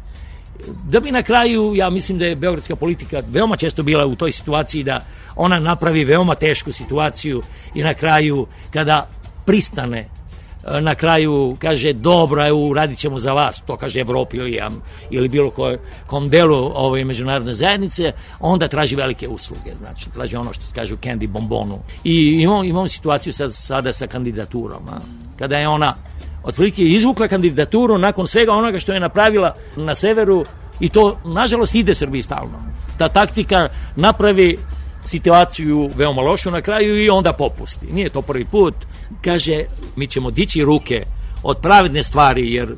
Speaker 9: Da bi na kraju, ja mislim da je beogradska politika veoma često bila u toj situaciji da ona napravi veoma tešku situaciju i na kraju kada pristane na kraju kaže dobro, evo, radit ćemo za vas, to kaže Evropi ili, ili bilo koje, kom delu ove međunarodne zajednice, onda traži velike usluge, znači traži ono što se kaže u candy bombonu. I imamo, imamo situaciju sad, sada sa kandidaturom, a? Kada je ona otprilike izvukla kandidaturu nakon svega onoga što je napravila na severu, i to nažalost ide Srbiji stalno. Ta taktika napravi situaciju veoma lošu na kraju i onda popusti. Nije to prvi put. Kaže, mi ćemo dići ruke od pravedne stvari, jer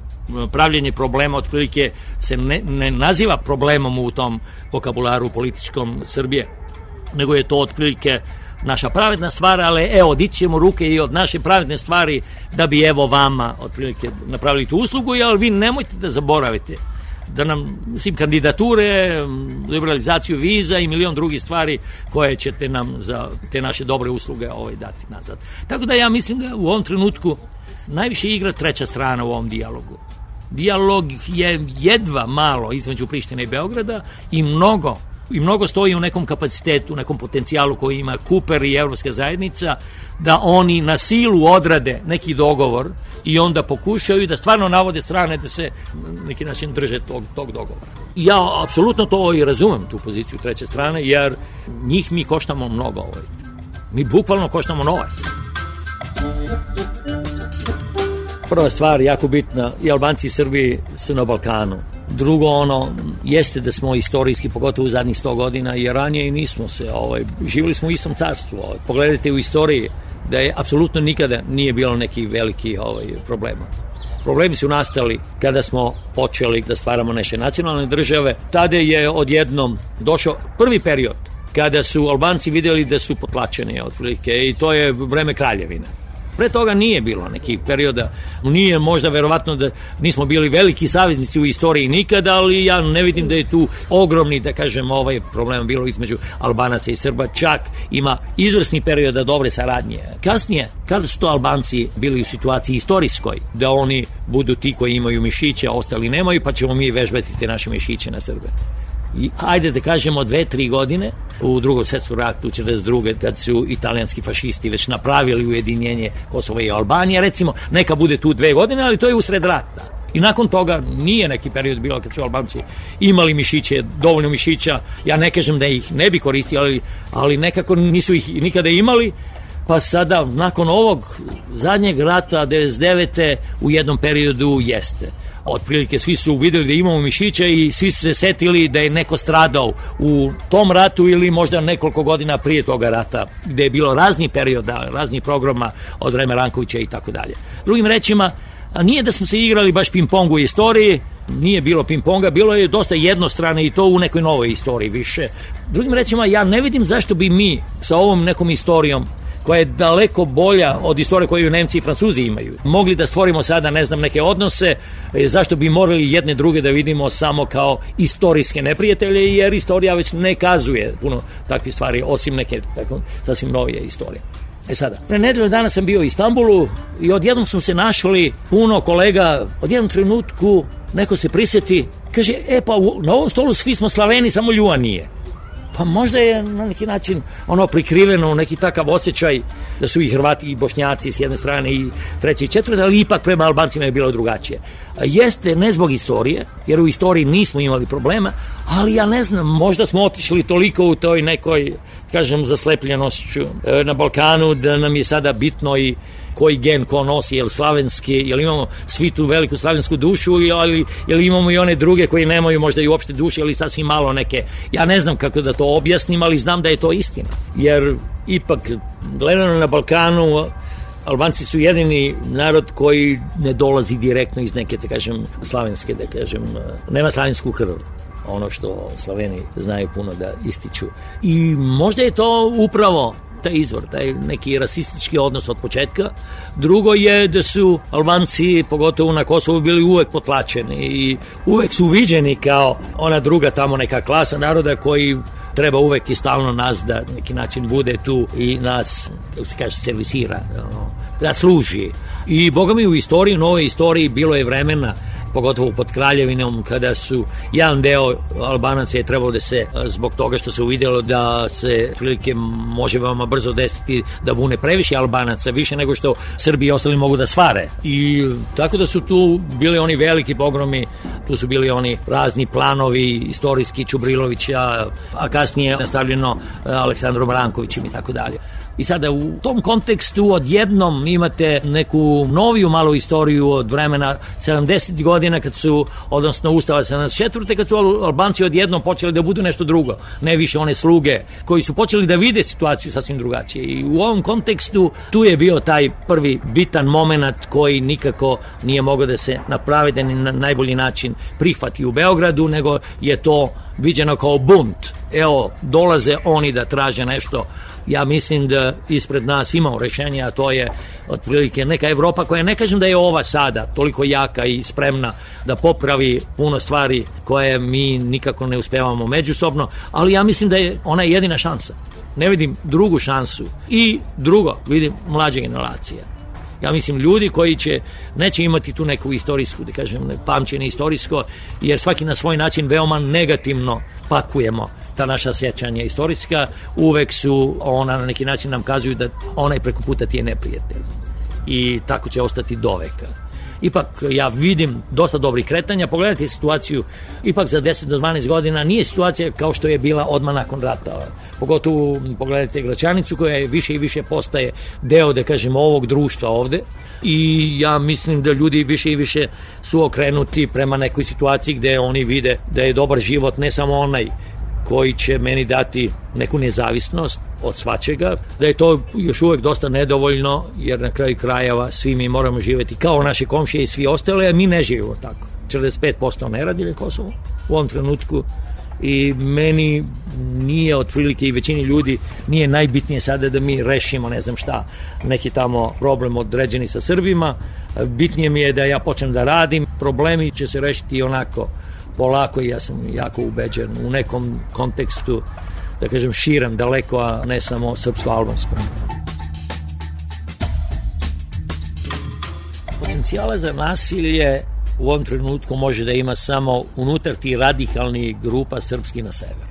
Speaker 9: pravljenje problema otprilike se ne, ne naziva problemom u tom vokabularu političkom Srbije, nego je to otprilike naša pravedna stvar, ali evo, dići ćemo ruke i od naše pravedne stvari da bi evo vama otprilike napravili tu uslugu, ali vi nemojte da zaboravite da nam, mislim, kandidature, liberalizaciju viza i milion drugih stvari koje ćete nam za te naše dobre usluge ovaj, dati nazad. Tako da ja mislim da u ovom trenutku najviše igra treća strana u ovom dijalogu. Dijalog je jedva malo između Prištine i Beograda i mnogo i mnogo stoji u nekom kapacitetu, u nekom potencijalu koji ima Kuper i Evropska zajednica, da oni na silu odrade neki dogovor i onda pokušaju da stvarno navode strane da se na neki način drže tog, tog dogovora. Ja apsolutno to i razumem, tu poziciju treće strane, jer njih mi koštamo mnogo. Ovaj. Mi bukvalno koštamo novac. Prva stvar, jako bitna, i Albanci i Srbi su na Balkanu. Drugo, ono, jeste da smo istorijski, pogotovo u zadnjih sto godina i ranije i nismo se, ovaj, živjeli smo u istom carstvu. Ovaj. Pogledajte u istoriji da je apsolutno nikada nije bilo neki veliki ovaj, problema. Problemi su nastali kada smo počeli da stvaramo naše nacionalne države. Tada je odjednom došao prvi period kada su Albanci vidjeli da su potlačeni otprilike i to je vreme kraljevine. Pre toga nije bilo nekih perioda, nije možda verovatno da nismo bili veliki saveznici u istoriji nikada, ali ja ne vidim da je tu ogromni, da kažem, ovaj problem bilo između Albanaca i Srba, čak ima izvrsni perioda dobre saradnje. Kasnije, kada su to Albanci bili u situaciji istorijskoj, da oni budu ti koji imaju mišiće, ostali nemaju, pa ćemo mi vežbati te naše mišiće na Srbe. I ajde da kažemo dve, tri godine u drugom svjetskom ratu četrdeset druge kad su italijanski fašisti već napravili ujedinjenje Kosova i Albanije, recimo neka bude tu dve godine, ali to je usred rata. I nakon toga nije neki period bilo kad su Albanci imali mišiće, dovoljno mišića, ja ne kažem da ih ne bi koristili, ali, ali nekako nisu ih nikada imali, pa sada nakon ovog zadnjeg rata devedeset devete u jednom periodu jeste. Otprilike svi su vidjeli da imamo mišiće i svi su se setili da je neko stradao u tom ratu ili možda nekoliko godina prije toga rata, gde je bilo razni perioda, razni programa od vremena Rankovića i tako dalje. Drugim rečima, nije da smo se igrali baš ping-pong u istoriji, nije bilo ping-ponga, bilo je dosta jednostrane i to u nekoj novoj istoriji više. Drugim rečima, ja ne vidim zašto bi mi sa ovom nekom istorijom koja je daleko bolja od istorije koju Nemci i Francuzi imaju. Mogli da stvorimo sada, ne znam, neke odnose, zašto bi morali jedne druge da vidimo samo kao istorijske neprijatelje, jer istorija već ne kazuje puno takvih stvari, osim neke tako, sasvim novije istorije. E sada, pre nedelju dana sam bio u Istanbulu i odjednom smo se našli puno kolega, odjednom trenutku neko se prisjeti, kaže, e pa na ovom stolu svi smo Slaveni, samo Ljuva nije. Pa možda je na neki način ono prikriveno, neki takav osjećaj da su i Hrvati i Bošnjaci s jedne strane i treće i četvrte, ali ipak prema Albancima je bilo drugačije. Jeste ne zbog istorije, jer u istoriji nismo imali problema, ali ja ne znam, možda smo otišli toliko u toj nekoj, kažem, zaslepljenošću na Balkanu da nam je sada bitno i koji gen ko nosi, jel slavenski, jel imamo svi tu veliku slavensku dušu, ali jel imamo i one druge koji nemaju možda i uopšte duše, ali sasvim malo neke. Ja ne znam kako da to objasnim, ali znam da je to istina. Jer ipak, gledano na Balkanu, Albanci su jedini narod koji ne dolazi direktno iz neke, da kažem, slavenske, da kažem, nema slavensku krv. Ono što Slaveni znaju puno da ističu. I možda je to upravo taj izvor, taj neki rasistički odnos od početka. Drugo je da su Albanci, pogotovo na Kosovu, bili uvek potlačeni i uvek su viđeni kao ona druga tamo neka klasa naroda koji treba uvek i stalno nas da neki način bude tu i nas, kako se kaže, servisira, da služi. I boga mi u istoriji, u novoj istoriji bilo je vremena pogotovo pod Kraljevinom, kada su jedan deo Albanaca je trebalo da se, zbog toga što se uvidjelo da se prilike može veoma brzo desiti da bune previše Albanaca, više nego što Srbi i ostali mogu da svare. I tako da su tu bili oni veliki pogromi, tu su bili oni razni planovi istorijski Čubrilovića, a kasnije nastavljeno Aleksandrom Rankovićem i tako dalje. I sada u tom kontekstu odjednom imate neku noviju malu istoriju od vremena sedamdesetih godina kad su, odnosno Ustava sedamdeset četvrte kad su Albanci odjednom počeli da budu nešto drugo, ne više one sluge koji su počeli da vide situaciju sasvim drugačije. I u ovom kontekstu tu je bio taj prvi bitan moment koji nikako nije mogao da se na pravedan i na najbolji način prihvati u Beogradu, nego je to viđeno kao bunt. Evo, dolaze oni da traže nešto. Ja mislim da ispred nas imamo rešenje, a to je otprilike neka Evropa koja, ne kažem da je ova sada toliko jaka i spremna da popravi puno stvari koje mi nikako ne uspevamo međusobno, ali ja mislim da je ona jedina šansa. Ne vidim drugu šansu. I drugo, vidim mlađe generacije. Ja mislim ljudi koji će, neće imati tu neku istorijsku, da kažem, pamćenje istorijsko, jer svaki na svoj način veoma negativno pakujemo ta naša sjećanja istorijska, uvek su, ona na neki način nam kazuju da onaj preko puta ti je neprijatelj. I tako će ostati do veka. Ipak ja vidim dosta dobrih kretanja, pogledajte situaciju, ipak za deset do dvanaest godina nije situacija kao što je bila odmah nakon rata. Pogotovo pogledajte Gračanicu koja je više i više postaje deo, da kažemo, ovog društva ovde. I ja mislim da ljudi više i više su okrenuti prema nekoj situaciji gde oni vide da je dobar život ne samo onaj koji će meni dati neku nezavisnost od svačega, da je to još uvek dosta nedovoljno, jer na kraju krajeva svi mi moramo živeti kao naše komšije i svi ostale, a mi ne živimo tako. četrdeset pet posto ne radi Kosovo u ovom trenutku i meni nije otprilike i većini ljudi nije najbitnije sada da mi rešimo ne znam šta, neki tamo problem određeni sa Srbima, bitnije mi je da ja počnem da radim, problemi će se rešiti onako polako i ja sam jako ubeđen u nekom kontekstu, da kažem, širem, daleko, a ne samo srpsko-albanskom. Potencijala za nasilje u ovom trenutku može da ima samo unutar ti radikalnih grupa srpski na severu.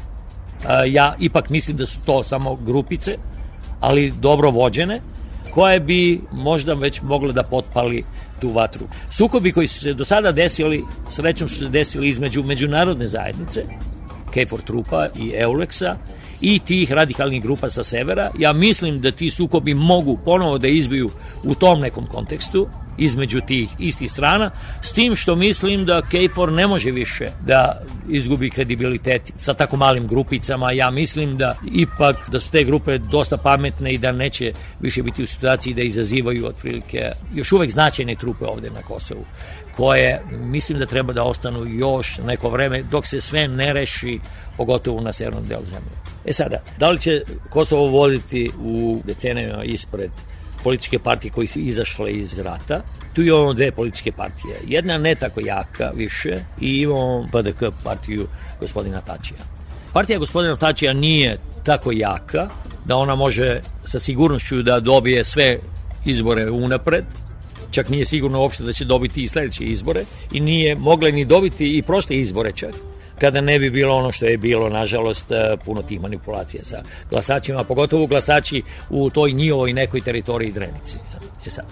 Speaker 9: Ja ipak mislim da su to samo grupice, ali dobro vođene, koje bi možda već mogle da potpali tu vatru. Sukobi koji su se do sada desili, srećom su se desili između međunarodne zajednice, KFOR trupa i EULEX-a, i tih radikalnih grupa sa severa. Ja mislim da ti sukobi mogu ponovo da izbiju u tom nekom kontekstu, između tih istih strana, s tim što mislim da KFOR ne može više da izgubi kredibilitet sa tako malim grupicama. Ja mislim da ipak da su te grupe dosta pametne i da neće više biti u situaciji da izazivaju otprilike još uvek značajne trupe ovde na Kosovu, koje mislim da treba da ostanu još neko vreme dok se sve ne reši, pogotovo na severnom delu zemlje. E sada, da li će Kosovo voditi u decenijama ispred političke partije koji su izašle iz rata? Tu imamo dve političke partije. Jedna ne tako jaka više i imamo P D K partiju gospodina Tačija. Partija gospodina Tačija nije tako jaka da ona može sa sigurnošću da dobije sve izbore unapred, čak nije sigurno uopšte da će dobiti i sledeće izbore i nije mogla ni dobiti i prošle izbore čak, kada ne bi bilo ono što je bilo, nažalost, puno tih manipulacija sa glasačima, pogotovo glasači u toj njihovoj nekoj teritoriji Drenici. Je sad.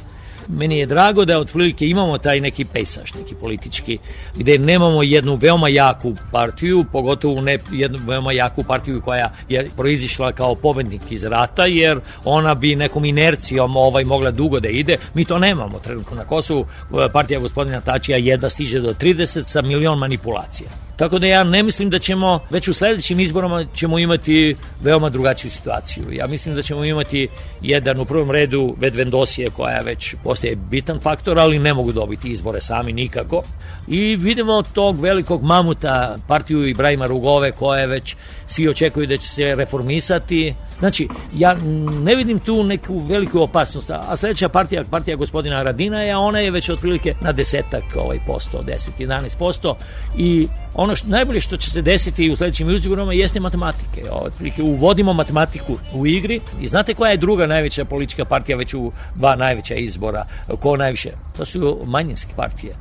Speaker 9: Meni je drago da otprilike imamo taj neki pejsaž, neki politički, gde nemamo jednu veoma jaku partiju, pogotovo ne jednu veoma jaku partiju koja je proizišla kao pobednik iz rata, jer ona bi nekom inercijom ovaj mogla dugo da ide. Mi to nemamo trenutno na Kosovu. Partija gospodina Tačija jedva stiže do trideset sa milion manipulacija. Tako da ja ne mislim da ćemo, već u sledećim izborama ćemo imati veoma drugačiju situaciju. Ja mislim da ćemo imati jedan u prvom redu Vedvendosije koja već postaje bitan faktor, ali ne mogu dobiti izbore sami nikako. I vidimo tog velikog mamuta, partiju Ibrahima Rugove, koje već svi očekuju da će se reformisati. Znači, ja ne vidim tu neku veliku opasnost, a sledeća partija, partija gospodina Haradinaja, ona je već otprilike na desetak ovaj posto, deset do jedanaest posto i ono što, najbolje što će se desiti u sledećim izborima jeste matematike. Otprilike uvodimo matematiku u igri i znate koja je druga najveća politička partija već u dva najveća izbora? Ko najviše? To su manjinske partije.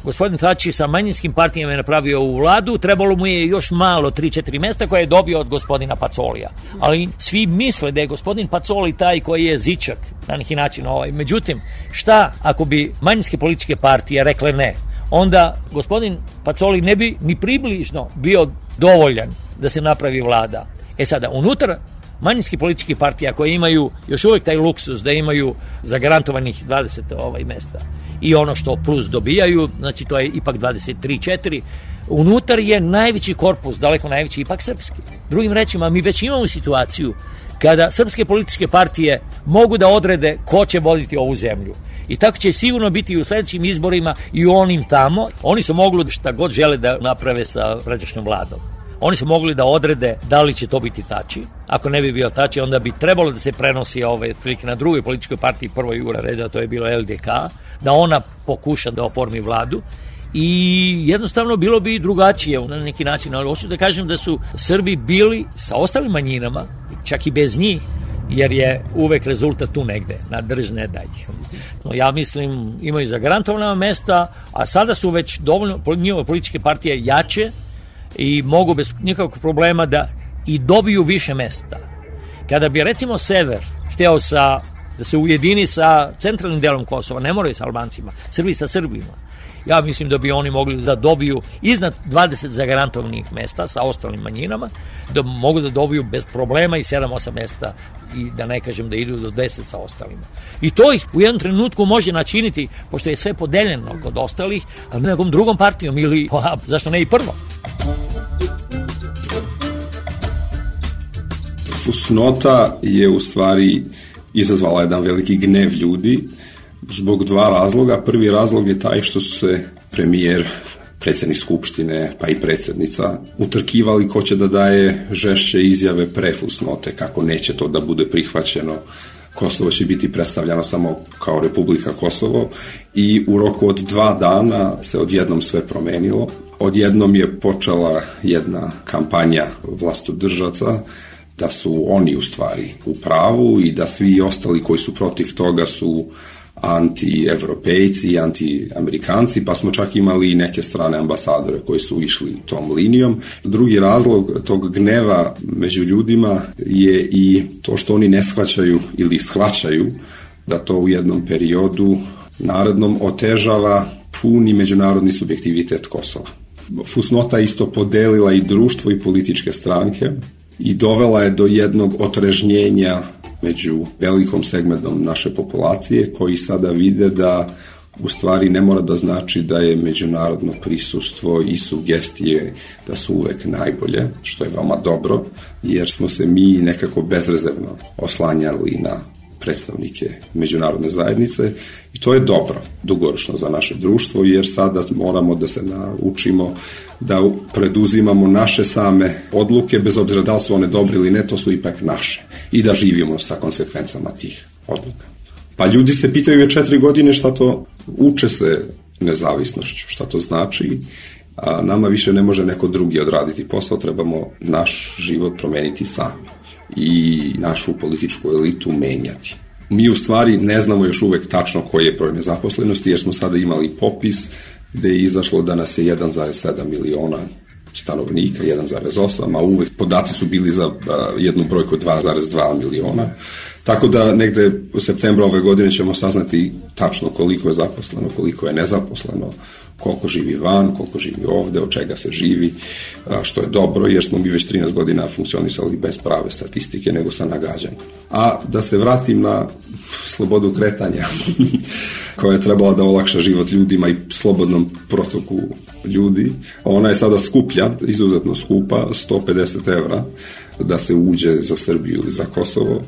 Speaker 9: gospodin Tači sa manjinskim partijama je napravio ovu vladu, trebalo mu je još malo tri četiri mesta koje je dobio od gospodina Pacolija. Ali svi misle da je gospodin Pacoli taj koji je zičak na neki način. Ovaj. Međutim, šta ako bi manjinske političke partije rekle ne? Onda gospodin Pacoli ne bi ni približno bio dovoljan da se napravi vlada. E sada, unutar manjinskih političkih partija koje imaju još uvijek taj luksus da imaju zagarantovanih dvadeset ovaj mesta i ono što plus dobijaju, znači to je ipak dvadeset tri četiri, unutar je najveći korpus, daleko najveći, ipak srpski. Drugim rečima, mi već imamo situaciju kada srpske političke partije mogu da odrede ko će voditi ovu zemlju. I tako će sigurno biti i u sledećim izborima i u onim tamo. Oni su mogli šta god žele da naprave sa pređašnjom vladom. Oni su mogli da odrede da li će to biti Tači. Ako ne bi bio Tači, onda bi trebalo da se prenosi ove prilike na drugoj političkoj partiji prvoj jura reda, to je bilo L D K, da ona pokuša da oformi vladu. I jednostavno bilo bi drugačije na neki način, ali hoću da kažem da su Srbi bili sa ostalim manjinama, čak i bez njih, jer je uvek rezultat tu negde, na drž ne daj. No, ja mislim, imaju zagarantovana mesta, a sada su već dovoljno njihove političke partije jače i mogu bez nikakvog problema da i dobiju više mesta. Kada bi recimo Sever hteo sa, da se ujedini sa centralnim delom Kosova, ne moraju sa Albancima, Srbi sa Srbima, ja mislim da bi oni mogli da dobiju iznad dvadeset zagarantovanih mesta sa ostalim manjinama, da mogu da dobiju bez problema i sedam osam mesta i da ne kažem da idu do deset sa ostalima. I to ih u jednom trenutku može načiniti, pošto je sve podeljeno kod ostalih, ali nekom drugom partijom ili, pa, zašto ne i prvo.
Speaker 10: Fusnota je u stvari izazvala jedan veliki gnev ljudi zbog dva razloga. Prvi razlog je taj što su se premijer, predsjednik Skupštine pa i predsjednica utrkivali ko će da daje žešće izjave pre fusnote, kako neće to da bude prihvaćeno. Kosovo će biti predstavljeno samo kao Republika Kosovo i u roku od dva dana se odjednom sve promenilo. Odjednom je počela jedna kampanja vlastodržaca da su oni u stvari u pravu i da svi ostali koji su protiv toga su anti-evropejci i anti-amerikanci, pa smo čak imali i neke strane ambasadore koji su išli tom linijom. Drugi razlog tog gneva među ljudima je i to što oni ne shvaćaju ili shvaćaju da to u jednom periodu narednom otežava puni međunarodni subjektivitet Kosova. Fusnota isto podelila i društvo i političke stranke i dovela je do jednog otrežnjenja među velikom segmentom naše populacije koji sada vide da u stvari ne mora da znači da je međunarodno prisustvo i sugestije da su uvek najbolje, što je veoma dobro, jer smo se mi nekako bezrezervno oslanjali na predstavnike međunarodne zajednice i to je dobro dugoročno za naše društvo, jer sada moramo da se naučimo da preduzimamo naše same odluke, bez obzira da li su one dobre ili ne, to su ipak naše i da živimo sa konsekvencama tih odluka. Pa ljudi se pitaju već četiri godine šta to, uče se nezavisnošću, šta to znači, a nama više ne može neko drugi odraditi posao, trebamo naš život promeniti sami i našu političku elitu menjati. Mi u stvari ne znamo još uvek tačno koji je broj nezaposlenosti, jer smo sada imali popis gde je izašlo da nas je jedan zarez sedam miliona stanovnika, jedan zarez osam, a uvek podaci su bili za jednu brojku dva zarez dva miliona. Tako da negde u septembru ove godine ćemo saznati tačno koliko je zaposleno, koliko je nezaposleno, koliko živi van, koliko živi ovde, od čega se živi, što je dobro, jer smo mi već trinaest godina funkcionisali bez prave statistike, nego sa nagađanjem. A da se vratim na slobodu kretanja, koja je trebala da olakša život ljudima i slobodnom protoku ljudi, ona je sada skuplja, izuzetno skupa, sto pedeset evra, da se uđe za Srbiju ili za Kosovo,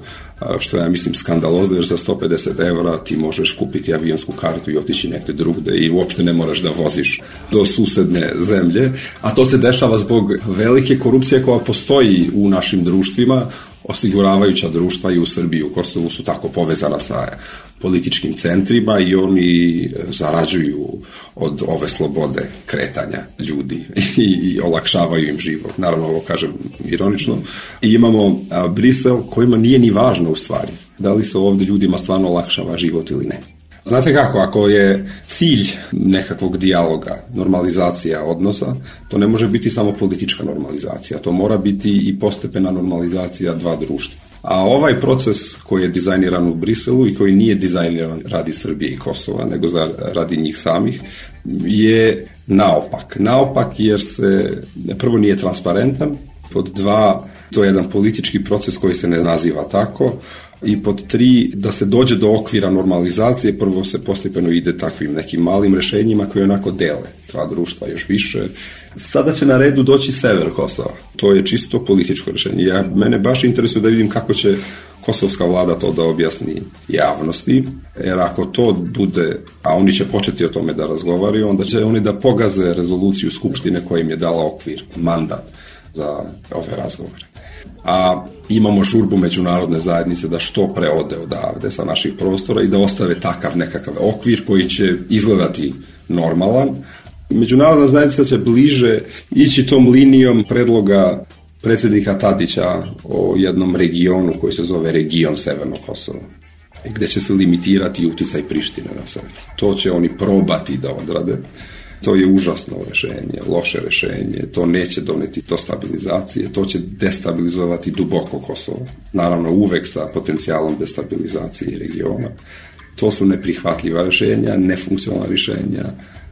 Speaker 10: što ja mislim skandalozno, jer za sto pedeset evra ti možeš kupiti avionsku kartu i otići negde drugde i uopšte ne moraš da voziš do susedne zemlje, a to se dešava zbog velike korupcije koja postoji u našim društvima. Osiguravajuća društva i u Srbiji i u Kosovu su tako povezana sa političkim centrima i oni zarađuju od ove slobode kretanja ljudi i, i olakšavaju im život. Naravno, ovo kažem ironično. I imamo a, Brisel kojima nije ni važno u stvari da li se ovde ljudima stvarno olakšava život ili ne. Znate kako, ako je cilj nekakvog dijaloga, normalizacija odnosa, to ne može biti samo politička normalizacija, to mora biti i postepena normalizacija dva društva. A ovaj proces koji je dizajniran u Briselu i koji nije dizajniran radi Srbije i Kosova, nego za, radi njih samih, je naopak. Naopak jer se prvo nije transparentan, pod dva, to je jedan politički proces koji se ne naziva tako, i pod tri, da se dođe do okvira normalizacije, prvo se postepeno ide takvim nekim malim rešenjima koje onako dele dva društva još više. Sada će na redu doći sever Kosova. To je čisto političko rešenje. Ja, mene baš interesuje da vidim kako će kosovska vlada to da objasni javnosti, jer ako to bude, a oni će početi o tome da razgovaraju, onda će oni da pogaze rezoluciju Skupštine koja im je dala okvir, mandat za ove razgovore. A imamo žurbu međunarodne zajednice da što pre ode odavde sa naših prostora i da ostave takav nekakav okvir koji će izgledati normalan. Međunarodna zajednica će bliže ići tom linijom predloga predsjednika Tadića o jednom regionu koji se zove region Severnog Kosova, gde će se limitirati uticaj Prištine na sever. To će oni probati da odrade. To je užasno rešenje, loše rešenje, to neće doneti do stabilizacije, to će destabilizovati duboko Kosovo. Naravno, uvek sa potencijalom destabilizacije regiona. To su neprihvatljiva rešenja, nefunkcionalna rešenja,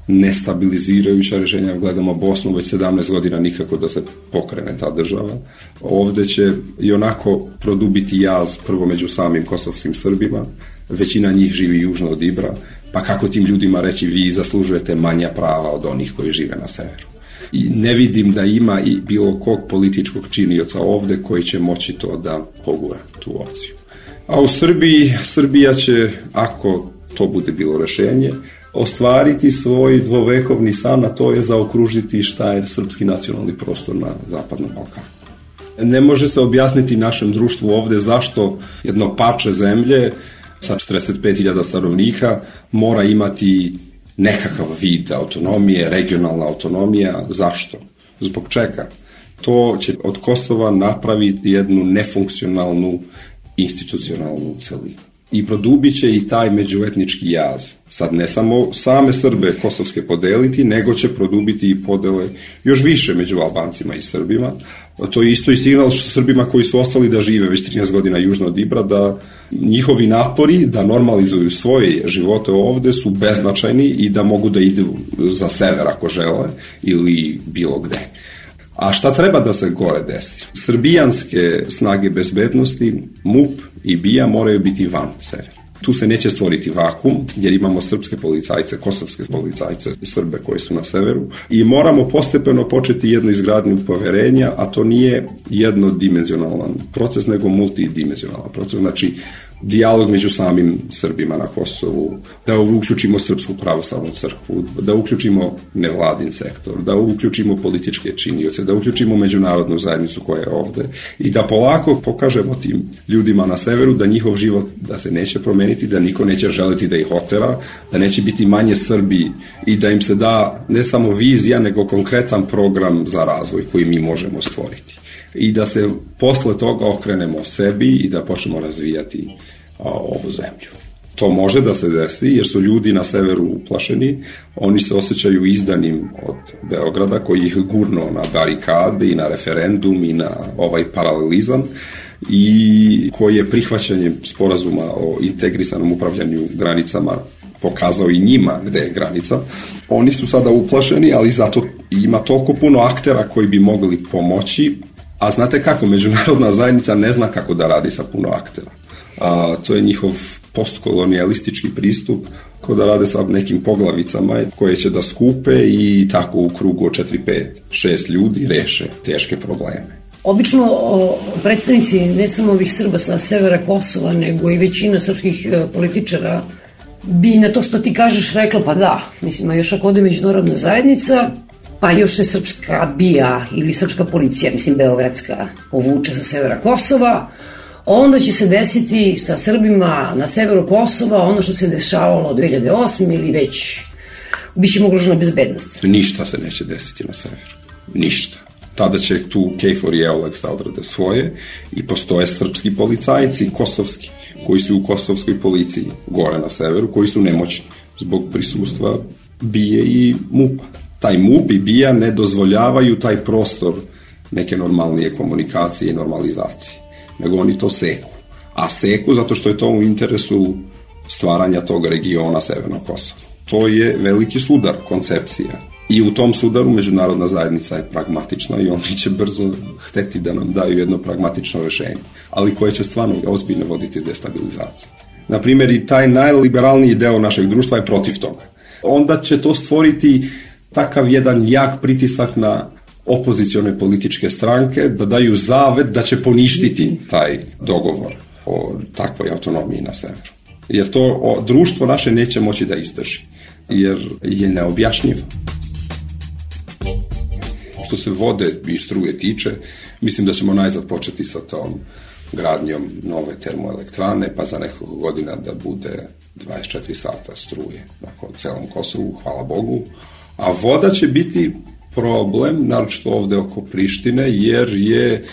Speaker 10: nestabilizirajuća rešenja. Gledamo Bosnu, već sedamnaest godina nikako da se pokrene ta država. Ovde će i onako produbiti jaz prvo među samim kosovskim Srbima, većina njih živi južno od Ibra, pa kako tim ljudima reći vi zaslužujete manja prava od onih koji žive na severu. I ne vidim da ima i bilo kog političkog činioca ovde koji će moći to da pogura tu opciju. A u Srbiji, Srbija će, ako to bude bilo rešenje, ostvariti svoj dvovekovni san, a to je zaokružiti šta je srpski nacionalni prostor na Zapadnom Balkanu. Ne može se objasniti našem društvu ovde zašto jedno pače zemlje sa četrdeset pet hiljada stanovnika mora imati nekakav vid autonomije, regionalna autonomija. Zašto? Zbog čega? To će od Kosova napraviti jednu nefunkcionalnu institucionalnu celinu. I produbit će i taj međuetnički jaz. Sad ne samo same Srbe kosovske podeliti, nego će produbiti i podele još više među Albancima i Srbima. To je isto i signal Srbima koji su ostali da žive već trinaest godina južno od Ibra, da njihovi napori da normalizuju svoje živote ovde su beznačajni i da mogu da idu za sever ako žele ili bilo gde. A šta treba da se gore desi? Srbijanske snage bezbednosti, MUP i BIA moraju biti van severa. Tu se neće stvoriti vakum, jer imamo srpske policajce, kosovske policajce, Srbe koji su na severu i moramo postepeno početi jednu izgradnju poverenja, a to nije jednodimenzionalan proces, nego multidimenzionalan proces. Znači, dijalog među samim Srbima na Kosovu, da uključimo Srpsku pravoslavnu crkvu, da uključimo nevladin sektor, da uključimo političke činioce, da uključimo međunarodnu zajednicu koja je ovde i da polako pokažemo tim ljudima na severu da njihov život da se neće promeniti, da niko neće želiti da ih otera, da neće biti manje Srbi i da im se da ne samo vizija, nego konkretan program za razvoj koji mi možemo stvoriti. I da se posle toga okrenemo sebi i da počnemo razvijati a, ovu zemlju. To može da se desi jer su ljudi na severu uplašeni, oni se osjećaju izdanim od Beograda koji ih gurno na barikade i na referendum i na ovaj paralelizam i koji je prihvaćanjem sporazuma o integrisanom upravljanju granicama pokazao i njima gde je granica. Oni su sada uplašeni, ali zato ima toliko puno aktera koji bi mogli pomoći. A znate kako, međunarodna zajednica ne zna kako da radi sa puno aktera. A, to je njihov postkolonijalistički pristup, kao da rade sa nekim poglavicama koje će da skupe i tako u krugu od četiri, pet, šest ljudi reše teške probleme.
Speaker 8: Obično o, predstavnici ne samo ovih Srba sa severa Kosova, nego i većina srpskih e, političara bi na to što ti kažeš rekla pa da, mislim, a još ako ode međunarodna zajednica, pa još se srpska BIA ili srpska policija, mislim beogradska, povuče sa severa Kosova, onda će se desiti sa Srbima na severu Kosova ono što se dešavalo od dve hiljade osme ili već biće ugrožena bezbednost.
Speaker 10: Ništa se neće desiti na severu. Ništa. Tada će tu Kejfor i Eolex da odrade svoje i postoje srpski policajci, kosovski, koji su u kosovskoj policiji gore na severu, koji su nemoćni zbog prisustva BIA i MUP-a. Taj MUP i BIA ne dozvoljavaju taj prostor neke normalnije komunikacije i normalizacije, nego oni to seku. A seku zato što je to u interesu stvaranja tog regiona Severnog Kosova. To je veliki sudar koncepcija. I u tom sudaru međunarodna zajednica je pragmatična i oni će brzo hteti da nam daju jedno pragmatično rešenje, ali koje će stvarno ozbiljno voditi destabilizaciju. Naprimjer, i taj najliberalniji deo našeg društva je protiv toga. Onda će to stvoriti takav jedan jak pritisak na opozicione političke stranke da daju zavet da će poništiti taj dogovor o takvoj autonomiji na severu. Jer to o, društvo naše neće moći da izdrži, jer je neobjašnjivo. Što se vode i struje tiče, mislim da ćemo najzad početi sa tom gradnjom nove termoelektrane, pa za nekoliko godina da bude dvadeset četiri sata struje na celom Kosovu, hvala Bogu. A voda će biti problem, naročito ovde oko Prištine, jer je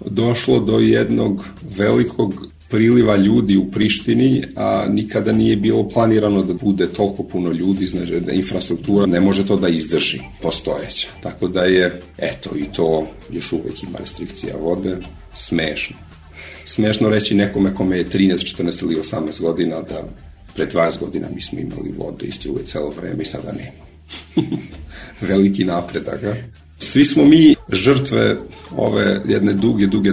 Speaker 10: došlo do jednog velikog priliva ljudi u Prištini, a nikada nije bilo planirano da bude toliko puno ljudi, znači da infrastruktura ne može to da izdrži postojeća. Tako da je, eto, i to još uvek ima restrikcija vode, smešno. Smešno reći nekome kome je trinaest, četrnaest ili osamnaest godina da pre dvadeset godina mi smo imali vode i struje celo vreme i sada nema. Veliki napredak, a? Svi smo mi žrtve ove jedne duge, duge